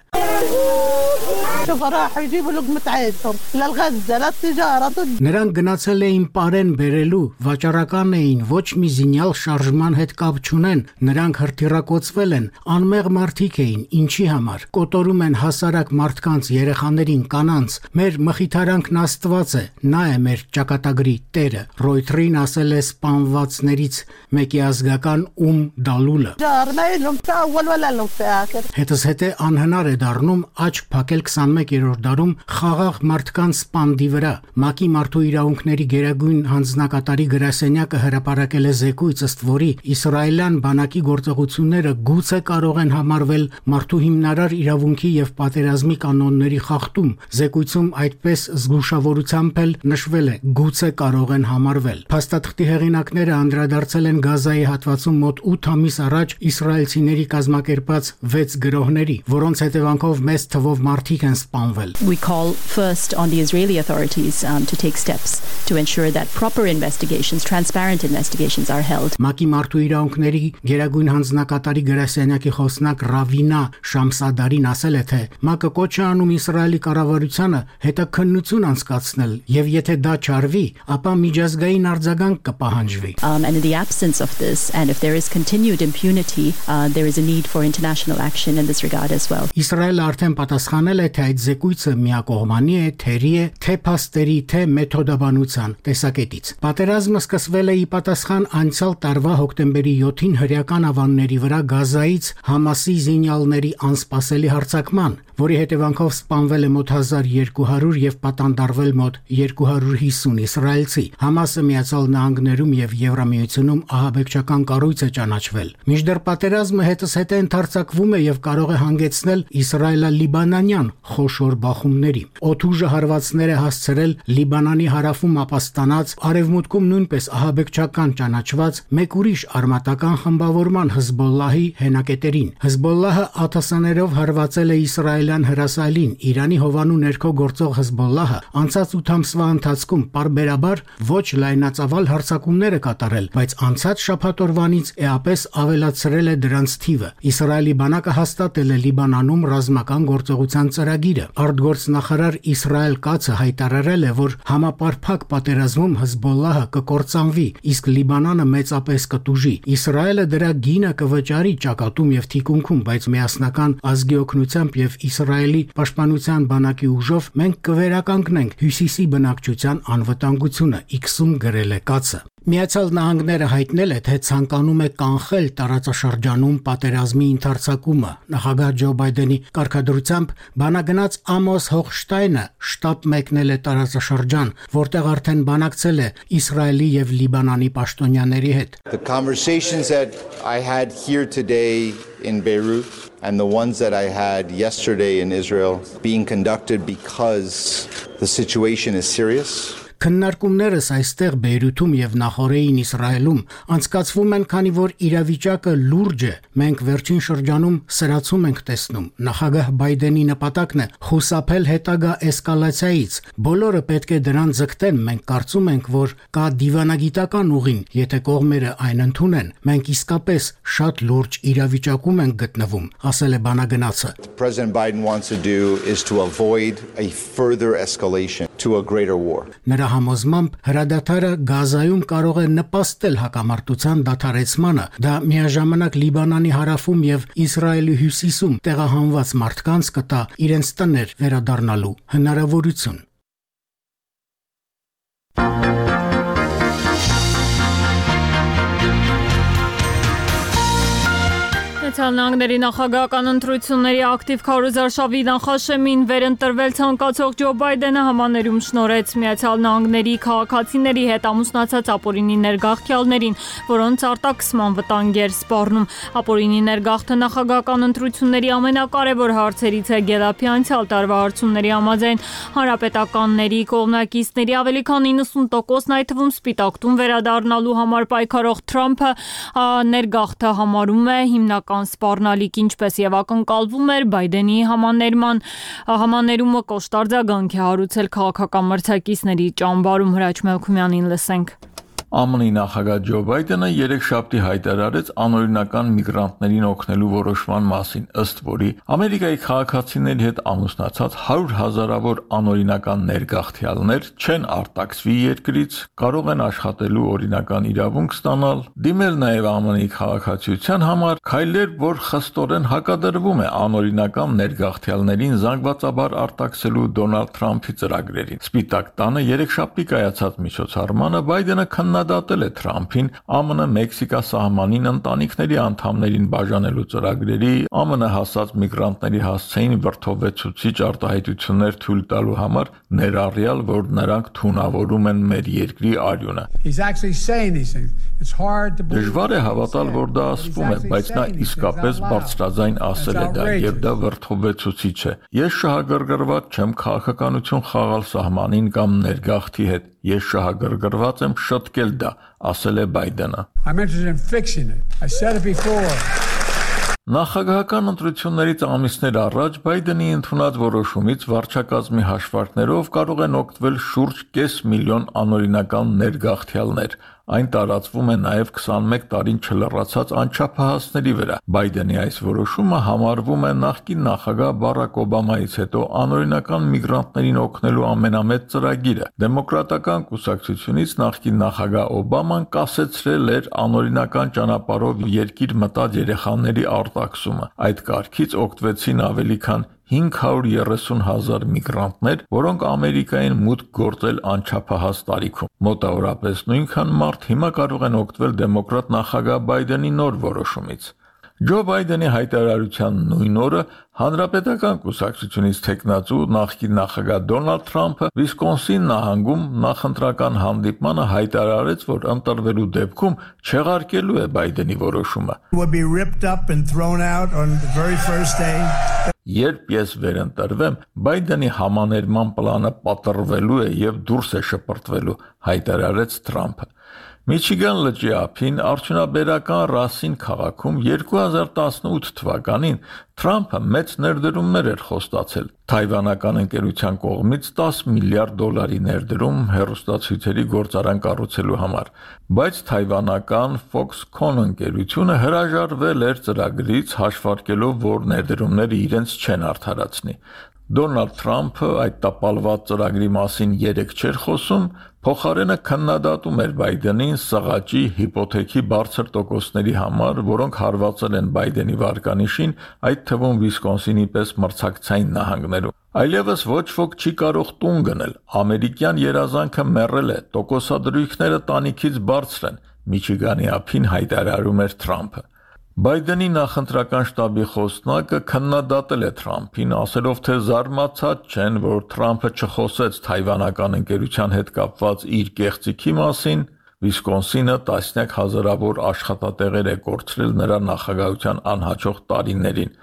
Նրանք գնացել էին պարեն բերելու, վաճառական էին, ոչ մի զինյալ շարժման հետ կապ չունեն, նրանք հրթիռակոծվել են, անմեղ մարդիկ էին, ինչի համար, կոտորում են հասարակ մարդկանց, երեխաներին, կանանց, մեր մխիթարանքն Աստված է, նա է մեր ճակատագրի տերը։ Ռոյթերին ասել է սպանվածներից մեկի ազգական Դալուլը։ Հետզհետե անհնար է դառնում աչք փակել 21-րդ դարում խաղաղ մարդկանց սպանդի վրա։ ՄԱԿ-ի մարդու իրավունքների գերագույն հանձնակատարի գրասենյակը հրապարակել է զեկույց, ըստ որի իսրայելյան բանակի գործողությունները գուցե կարող են համարվել մարդու հիմնարար իրավունքի եւ պատերազմի կանոնների խախտում։ Զեկույցում այդպես զգուշավորությամբ էլ նշվել է գուցե կարող են համարվել։ Փաստաթղթի հեղինակները անդրադարձել են Գազայի հատվածում մոտ 8 ամիս առաջ իսրայելցիների կազմակերպած 6 գրոհների, որոնց հետևանքով մեծ թվով մարդիկ են սպանվել։ We call first on the Israeli authorities to take steps to ensure that proper investigations, transparent investigations are held. ՄԱԿ-ի մարդու իրավունքների գերագույն հանձնակատարի գրասենյակի խոսնակ Ռավինա Շամսադարին ասել է, թե ՄԱԿ-ը կոչ է անում Իսրայելի կառավարությանը հետաքննություն անցկացնել, եւ եթե դա չարվի, ապա միջազգային արձագանք կպահանջվի։ And in the absence of this, and if there is continued impunity, there is a need for international action in this regard as well. Իսրայելը արդեն պատասխանել է, թե այդ զեկույցը միակողմանի է, թերի է, թե փաստերի, թե մեթոդաբանության տեսակետից։ Պատերազմը սկսվել է ի պատասխան անցյալ տարվա հոկտեմբերի 7-ին հրեական ավանների վրա Գազայից Համասի զինյալների անսպասելի հարձակման, որի հետևանքով սպանվել է մոտ 1200 եւ պատանդարվել մոտ 250 իսրայելցի։ Համասը Միացյալ Նահանգներում եւ Եվրամիությունում ահաբեկչական կառույց է ճանաչվել։ Մինչդեռ պատերազմը հետզհետե ընդարձակվում է եւ կարող է հանգեցնել իսրայելա-լիբանանյան խոշոր բախումների։ Օդուժը հարվածներ է հասցրել Լիբանանի հարավում ապաստանած, արևմուտքում նույնպես ահաբեկչական ճանաչված մեկ ուրիշ արմատական խմբավորման Հեզբոլլահի հենակետերին։ Հեզբոլլահը ԱԹՍ-ներով հարվածել է Իսրայելի Իսրայելյան հրասայլին Իրանի հովանու ներքո գործող Հեզբոլլահը անցած 8 ամսվա ընթացքում պարբերաբար ոչ լայնածավալ հարձակումներ է կատարել, բայց անցած շաբաթօրվանից էապես ավելացրել է դրանց թիվը։ Իսրայելի բանակը հաստատել է Լիբանանում ռազմական գործողության ծրագիրը։ Արտգործնախարար Իսրայել Կացը հայտարարել է, որ համապարփակ պատերազմում Հեզբոլլահը կկործանվի, իսկ Լիբանանը մեծապես կտուժի։ Իսրայելը դրա գինը կվճարի ճակատում եւ թիկունքում, բայց միասնական ազգի օգնությամբ եւ Իսրայելի պաշտպանության բանակի ուժով մենք կվերականգնենք Հյուսիսի բնակչության անվտանգությունը, X-ում գրել է Կացը։ Միացյալ Նահանգները հայտնել է, թե ցանկանում է կանխել տարածաշրջանում պատերազմի ընդարձակումը։ Նախագահ Ջո Բայդենի կարգադրությամբ բանագնաց Ամոս Հոխշտայնը շտաբ մեկնել է տարածաշրջան, որտեղ արդեն բանակցել է Իսրայելի եւ Լիբանանի պաշտոնյաների հետ։ The conversations that I had here today in Beirut and the ones that I had yesterday in Israel being conducted because the situation is serious. Քննարկումներս այստեղ Բեյրութում եւ նախորդին Իսրայելում անցկացվում են, քանի որ իրավիճակը լուրջ է։ Մենք վերջին շրջանում սրացում ենք տեսնում։ Նախագահ Բայդենի նպատակն է խուսափել հետագա էսկալացիայից։ Բոլորը պետք է դրան ձգտեն։ Մենք կարծում ենք, որ կա դիվանագիտական ուղին, եթե կողմերը այն ընդունեն։ Մենք իսկապես շատ լուրջ իրավիճակում ենք գտնվում, ասել է բանագնացը։ President Biden wants to do is to avoid a further escalation to a greater war. Նրա համոզմամբ հրադադարը Գազայում կարող է նպաստել հակամարտության դադարեցմանը, դա միաժամանակ Լիբանանի հարավում եւ Իսրայելի հյուսիսում տեղահանված մարդկանց կտա իրենց տներ վերադառնալու հնարավորություն։ Նահանգների նախագահական ընտրությունների ակտիվ քարոզարշավի նախաշեմին վերընտրվել ցանկացող Ջո Բայդենը համաներում շնորհեց Միացյալ Նահանգների քաղաքացիների հետ ամուսնացած ապօրինի ներգաղթյալներին, որոնց արտաքսման վտանգ էր սպառնում։ Ապօրինի ներգաղթը նախագահական ընտրությունների ամենակարևոր հարցերից է Գելափի անցյալ տարվա հարցումների համաձայն հանրապետականների կողմնակիցների ավելի քան 90%-ն այդ թվում Սպիտակ տուն վերադառնալու համար պայքարող Թրամփը ներգաղթը համարում է հիմնական սպառնալիք, ինչպես եւ ակնկալվում էր Բայդենի համաներումը կոշտարձագանք է հարուցել քաղաքական մրցակիցների ճամբարում։ Հրաչ Մելքումյանին լսենք։ ԱՄՆ-ի նախագահ Ջո Բայդենը երեքշաբթի հայտարարեց անօրինական միգրանտներին օգնելու որոշման մասին, ըստ որի Ամերիկայի քաղաքացիների հետ ամուսնացած 100,000-ավոր անօրինական ներգաղթյալներ չեն արտաքսվի երկրից, կարող են աշխատելու օրինական իրավունք ստանալ, դիմել նաև ԱՄՆ-ի քաղաքացիության համար, քայլեր, որ խստորեն հակադրվում է անօրինական ներգաղթյալներին զանգվածաբար արտաքսելու Դոնալդ Թրամփի ծրագրերին։ Սպիտակ տանը երեքշաբթի կայացած միջոցառմանը Բայդենը քննադատել է Թրամփին ԱՄՆ-Մեքսիկա սահմանին ընտանիքների անդամներին բաժանելու ծրագրերի, ԱՄՆ հասած միգրանտների հասցեին վրդովվեցուցիչ արտահայտություններ թույլ տալու համար, ներառյալ, որ նրանք թունավորում են մեր երկրի արյունը։ Դժվար է հավատալ, որ դա ասվում է, բայց նա իսկապես բարձրաձայն ասել է դա, եւ դա վրդովվեցուցիչ է։ Ես շահագրգռված չեմ քաղաքականություն խաղալ սահմանին կամ ներգաղթի հետ։ Ես շահագրգռված եմ շտկել դա, ասել է Բայդենը։ Նախագահական ընտրություններից ամիսներ առաջ Բայդենի ընդունած որոշումից վարչակազմի հաշվարկներով կարող են օգտվել շուրջ 500,000 անօրինական ներգաղթյալներ։ Այն տարածվում է նաև 21 տարին չլրացած անչափահասների վրա։ Բայդենի այս որոշումը համարվում է նախկին նախագահ Բարակ Օբամայից հետո անօրինական միգրանտներին օգնելու ամենամեծ ծրագիրը։ Դեմոկրատական կուսակցությունից նախկին նախագահ Օբաման կասեցրել էր անօրինական ճանապարհով երկիր մտած երեխաների արտաքսումը։ Այդ կարգից օգտվեցին ավելի քան 530,000 միգրանտներ, որոնք Ամերիկային մուտք գործել անչափահաս տարիքում։ Մոտավորապես նույնքան մարդ հիմա կարող են օգտվել դեմոկրատ նախագահ Բայդենի նոր որոշումից։ Ջո Բայդենի հայտարարության նույն օրը Հանրապետական կուսակցությունից թեկնածու նախկին նախագահ Դոնալդ Թրամփը Վիսկոնսին նահանգում նախընտրական հանդիպմանը հայտարարեց, որ ընտրվելու դեպքում չեղարկելու է Բայդենի որոշումը։ Երբ ես վերընտրվեմ, Բայդենի համաներման պլանը պատռվելու է եւ դուրս է շպրտվելու, հայտարարեց Թրամփը։ Միչիգան լճի ափին արդյունաբերական Ռասին քաղաքում 2018 թվականին Թրամփը մեծ ներդրումներ էր խոստացել թայվանական ընկերության կողմից $10 միլիարդ ներդրում հեռուստացույցերի գործարան կառուցելու համար, բայց թայվանական Foxconn ընկերությունը հրաժարվել էր ծրագրից հաշվարկելով, որ ներդրումները իրենց չեն արդարացնի։ Դոնալդ Թրամփը այդ տապալված ծրագրի մասին երեք չէր խոսում, փոխարենը քննադատում էր Բայդենին սղաճի հիպոթեքի բարձր տոկոսների համար, որոնք հարվածել են Բայդենի վարկանիշին, այդ թվում Վիսկոնսինի պես մրցակցային նահանգներում։ Այլևս ոչ ոք չի կարող տուն գնել, ամերիկյան երազանքը մեռել է, տոկոսադրույքները տանիքից բարձր են, Միչիգանի ափին հայտարարում էր Թրամփը։ Բայդենի նախընտրական շտաբի խոսնակը քննադատել է Թրամփին, ասելով, թե զարմացած չեն, որ Թրամփը չխոսեց թայվանական ընկերության հետ կապված իր կեղծիքի մասին, Վիսկոնսինը տասնյակ հազարավոր աշխատատեղեր է կորցրել նրա նախագահության անհաջող տարիներին,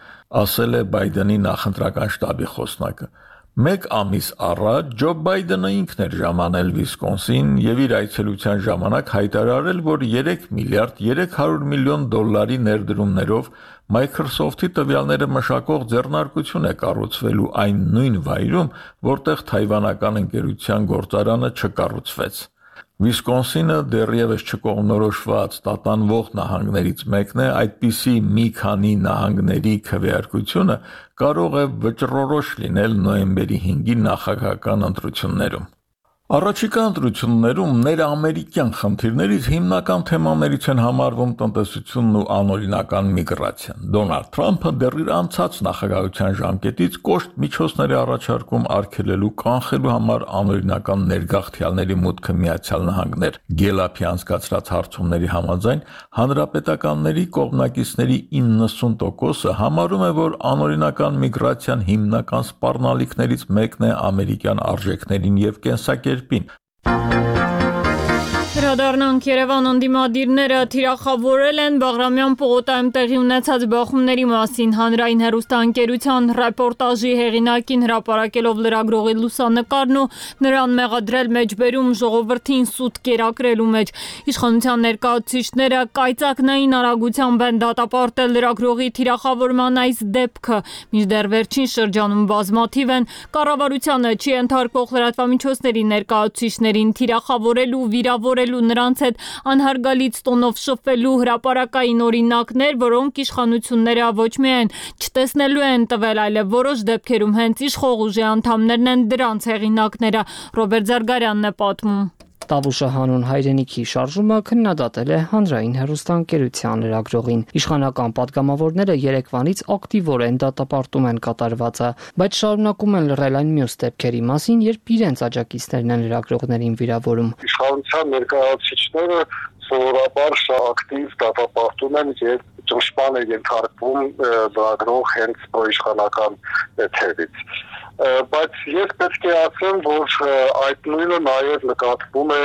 ասել է Բայդենի նախընտրական շտաբի խոսնակը։ Մեկ ամիս առաջ Ջո Բայդենը ինքն էր ժամանել Վիսկոնսին եւ իր այցելության ժամանակ հայտարարել, որ $3 միլիարդ 300 միլիոն ներդրումներով Microsoft-ի տվյալները մշակող ձեռնարկություն է կառուցվելու այն նույն վայրում, որտեղ թայվանական ընկերության գործարանը չկառուցվեց։ Վիսկոնսինը դեռևս չկողմնորոշված տատանվող նահանգներից մեկն է, այդպիսի մի քանի նահանգների քվեարկությունը կարող է վճռորոշ լինել նոյեմբերի 5-ի նախագահական ընտրություններում։ Առաջիկա ընտրություններում ներամերիկյան խնդիրներից հիմնական թեմաներից են համարվում տնտեսությունն ու անօրինական միգրացիան։ Դոնալդ Թրամփը դեռ իր անցած նախագահության ժամկետից կոշտ միջոցներ է առաջարկում արգելելու կանխելու համար անօրինական ներգաղթյալների մուտքը Միացյալ Նահանգներ։ Գելափի անցկացրած հարցումների համաձայն հանրապետականների կողմնակիցների 90%-ը համարում է, որ անօրինական միգրացիան հիմնական սպառնալիքներից մեկն է ամերիկյան արժեքներին եւ կենսակերպին։ Հրադառնանք Երևան ընդդիմադիրները թիրախավորել են Բաղրամյան պողոտայում տեղի ունեցած բախումների մասին հանրային հեռուստաընկերության ռեպորտաժի հեղինակին հրապարակելով լրագրողի լուսանկարն ու նրան մեղադրել մեջբերում ժողովրդին սուտ կերակրելու մեջ։ Իշխանության ներկայացուցիչները կայծակնային արագությամբ են դատապարտել լրագրողի թիրախավորման այս դեպքը, մինչդեռ վերջին շրջանում բազմաթիվ են կառավարությանը չի ենթարկող լրատվամիջոցների ներկայացուցիչներին թիրախավորելու, վիրավորելու նրանց հետ անհարգալից տոնով շփվելու հրապարակային օրինակներ, որոնք իշխանությունները ոչ միայն չտեսնելու են տվել, այլև որոշ դեպքերում հենց իշխող ուժի անդամներն են դրանց հեղինակները։ Ռոբերտ Զարգարյանն է պատմում։ Տավուշը հանուն հայրենիքի շարժումը քննադատել է հանրային հեռուստաընկերության լրագրողին։ Իշխանական падգամավորները երեկվանից ակտիվորեն դատապարտում են կատարվածը, բայց շարունակում են լռել այն մյուս դեպքերի մասին, երբ իրենց աջակիցներն են լրագրողներին վիրավորում։ Իշխանության ներկայացուցիչները սովորաբար ակտիվ դատապարտում են եւ ճնշման է ենթարկվում լրագրող հենց պրոիշխանական թևից։ Բայց ես պետք է ասեմ, որ այդ նույնը նաև նկատվում է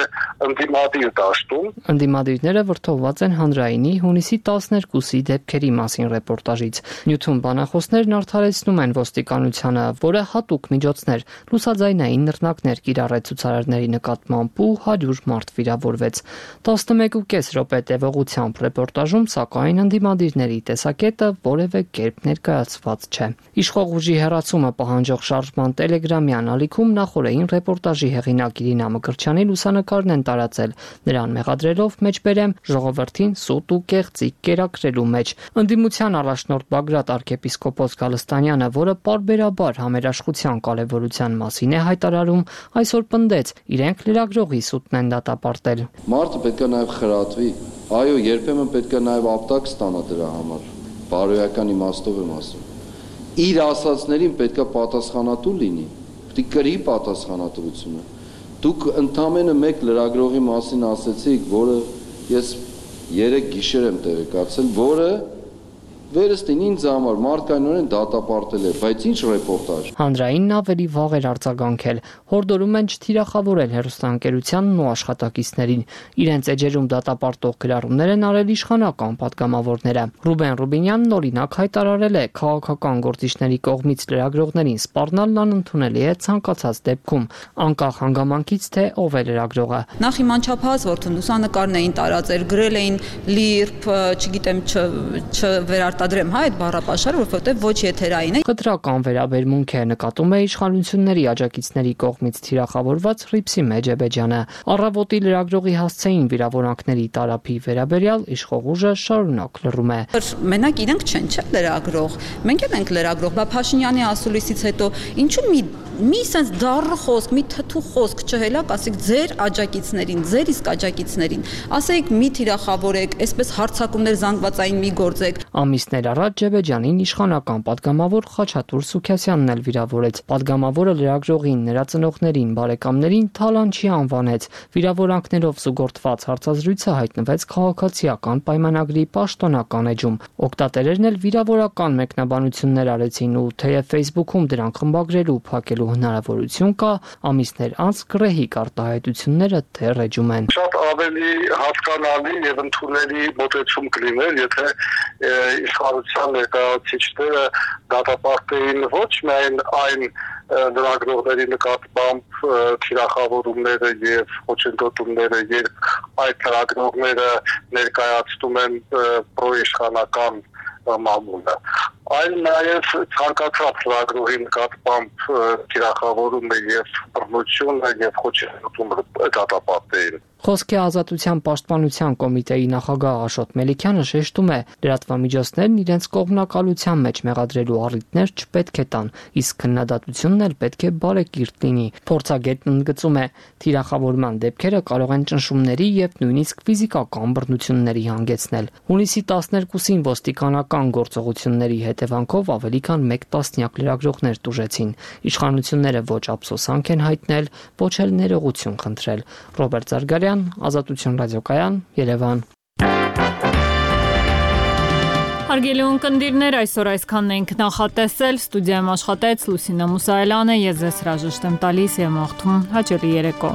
ընդդիմադիր դաշտում։ Ընդդիմադիրները վրդովված են հանրայինի հունիսի 12-ի դեպքերի մասին ռեպորտաժից։ Նյութում բանախոսներն արդարեցնում են ոստիկանությանը, որը հատուկ միջոցներ, լուսաձայնային նռնակներ կիրառեց ցուցարարների նկատմամբ ու 100 մարդ վիրավորվեց։ 11.5 րոպե տևողությամբ ռեպորտաժում, սակայն ընդդիմադիրների տեսակետը որևէ կերպ ներկայացված չէ։ Իշխող ուժի հեռացումը պահանջող շարժման տելեգրամյան ալիքում նախորդին ռեպորտաժի հեղինակ Իրինա Մկրտչյանի լուսանկարն են տարածել, նրան մեղադրելով մեջբերեմ ժողովրդին սուտ ու կեղծիք կերակրելու մեջ։ Ընդդիմության առաջնորդ Բագրատ arczepiskopos Գալստանյանը, որը պարբերաբար համերաշխության կարևորության մասին է հայտարարում, այսօր պնդեց, իրենք լրագրողի սուտն են դատապարտել։ Մարդը պետք է նաև խրատվի, այո, երբեմն պետք է նաև ապտակ ստանա դրա համար, բարոյական իմաստով եմ ասում։ Իր ասածներին պետք է պատասխանատու լինի, պետք է կրի պատասխանատվությունը։ Դուք ընդամենը մեկ լրագրողի մասին ասեցիք, որը ես 3 գիշեր եմ տեղեկացել, որը Վերստին ինձ համար մարդկայնորեն դատապարտել է, բայց ինչ ռեպորտաժ։ Հանրայինն ավելի վաղ էր արձագանքել, հորդորում են չթիրախավորել հեռուստաընկերությանն ու աշխատակիցներին։ Իրենց էջերում դատապարտող գրառումներ են արել իշխանական պատգամավորները։ Ռուբեն Ռուբինյանն օրինակ հայտարարել է, քաղաքական գործիչների կողմից լրագրողներին սպառնալն անընդունելի է ցանկացած դեպքում, անկախ հանգամանքից թե ով է լրագրողը։ Նախ իմ անչափահաս որդուն լուսանկարն էին տարածել, գրել էին լիրբ, չգիտեմ, չվերարտադրեմ այդ բառապաշարը, որովհետև ոչ եթերային է։ Կտրական վերաբերմունք է նկատում է իշխանությունների աջակիցների կողմից թիրախավորված Ռիփսի Մեջեբեջյանը։ Առավոտի լրագրողի հասցեին վիրավորանքների տարափի վերաբերյալ իշխող ուժը շարունակ լռում է։ Մենակ իրենք չեն, չէ՞ լրագրող։ Մենք էլ ենք լրագրող, բա Փաշինյանի ասուլիսից հետո ինչու մի sense դառը խոսք, մի թթու խոսք չհելակ, ասեք ձեր աջակիցներին, ձեր իսկ աջակիցներին, ասեք մի թիրախավորեք, այսպես հարձակումներ զանգվածային մի գործեք։ Ամիսներ առաջ Ջեբեջյանին իշխանական պատգամավոր Խաչատուր Սուքասյանն էլ վիրավորեց։ Պատգամավորը լրագրողին, նրա ծնողներին, բարեկամներին թալանչի անվանեց։ Վիրավորանքներով զուգորդված հարցազրույցը հայտնվեց քաղաքացիական պայմանագրի պաշտոնական էջում։ Օգտատերերն էլ վիրավորական մեկնաբանություններ արեցին ու թեև Facebook-ում դրանք խմբագրելու, փակելու հնարավորություն կա, ամիսներ անց գռեհիկ արտահայտությունները դեռ էջում են։ Շատ ավելի հասկանալի եւ ընդունելի մոտեցում կլիներ, եթե իշխանության ներկայացուցիչները դատապարտեին ոչ միայն այն լրագրողների նկատմամբ թիրախավորումները եւ խոչընդոտումները, երբ այդ լրագրողները ներկայացնում են պրոիշխանական մամուլը, այլ նաև ցանկացած լրագրողի նկատմամբ թիրախավորումը եւ բռնությունը եւ խոչընդոտումը դատապարտեին։ Խոսքի ազատության պաշտպանության կոմիտեի նախագահ Աշոտ Մելիքյանը շեշտում է, լրատվամիջոցներն իրենց կողմնակալության մեջ մեղադրելու առիթներ չպետք է տան, իսկ քննադատությունն էլ պետք է բարեկիրթ լինի։ Փորձագետն ընդգծում է, թիրախավորման դեպքերը կարող են ճնշումների եւ նույնիսկ ֆիզիկական բռնությունների հանգեցնել։ Հունիսի 12-ին ոստիկանական գործողությունների հետևանքով ավելի քան 1 տասնյակ լրագրողներ տուժեցին։ Իշխանությունները ոչ ափսոսանք են հայտնել, ոչ էլ ներողություն խնդրել։ Ռոբերտ Զարգարյան, Ազատություն ռադիոկայան, Երևան։ Հարգելի ունկնդիրներ, այսօր այսքանն ենք նախատեսել, ստուդիայում աշխատեց Լուսինա Մուսայելյանը, ես ձեզ հրաժեշտ եմ տալիս եւ մաղթում հաջողի երեկո։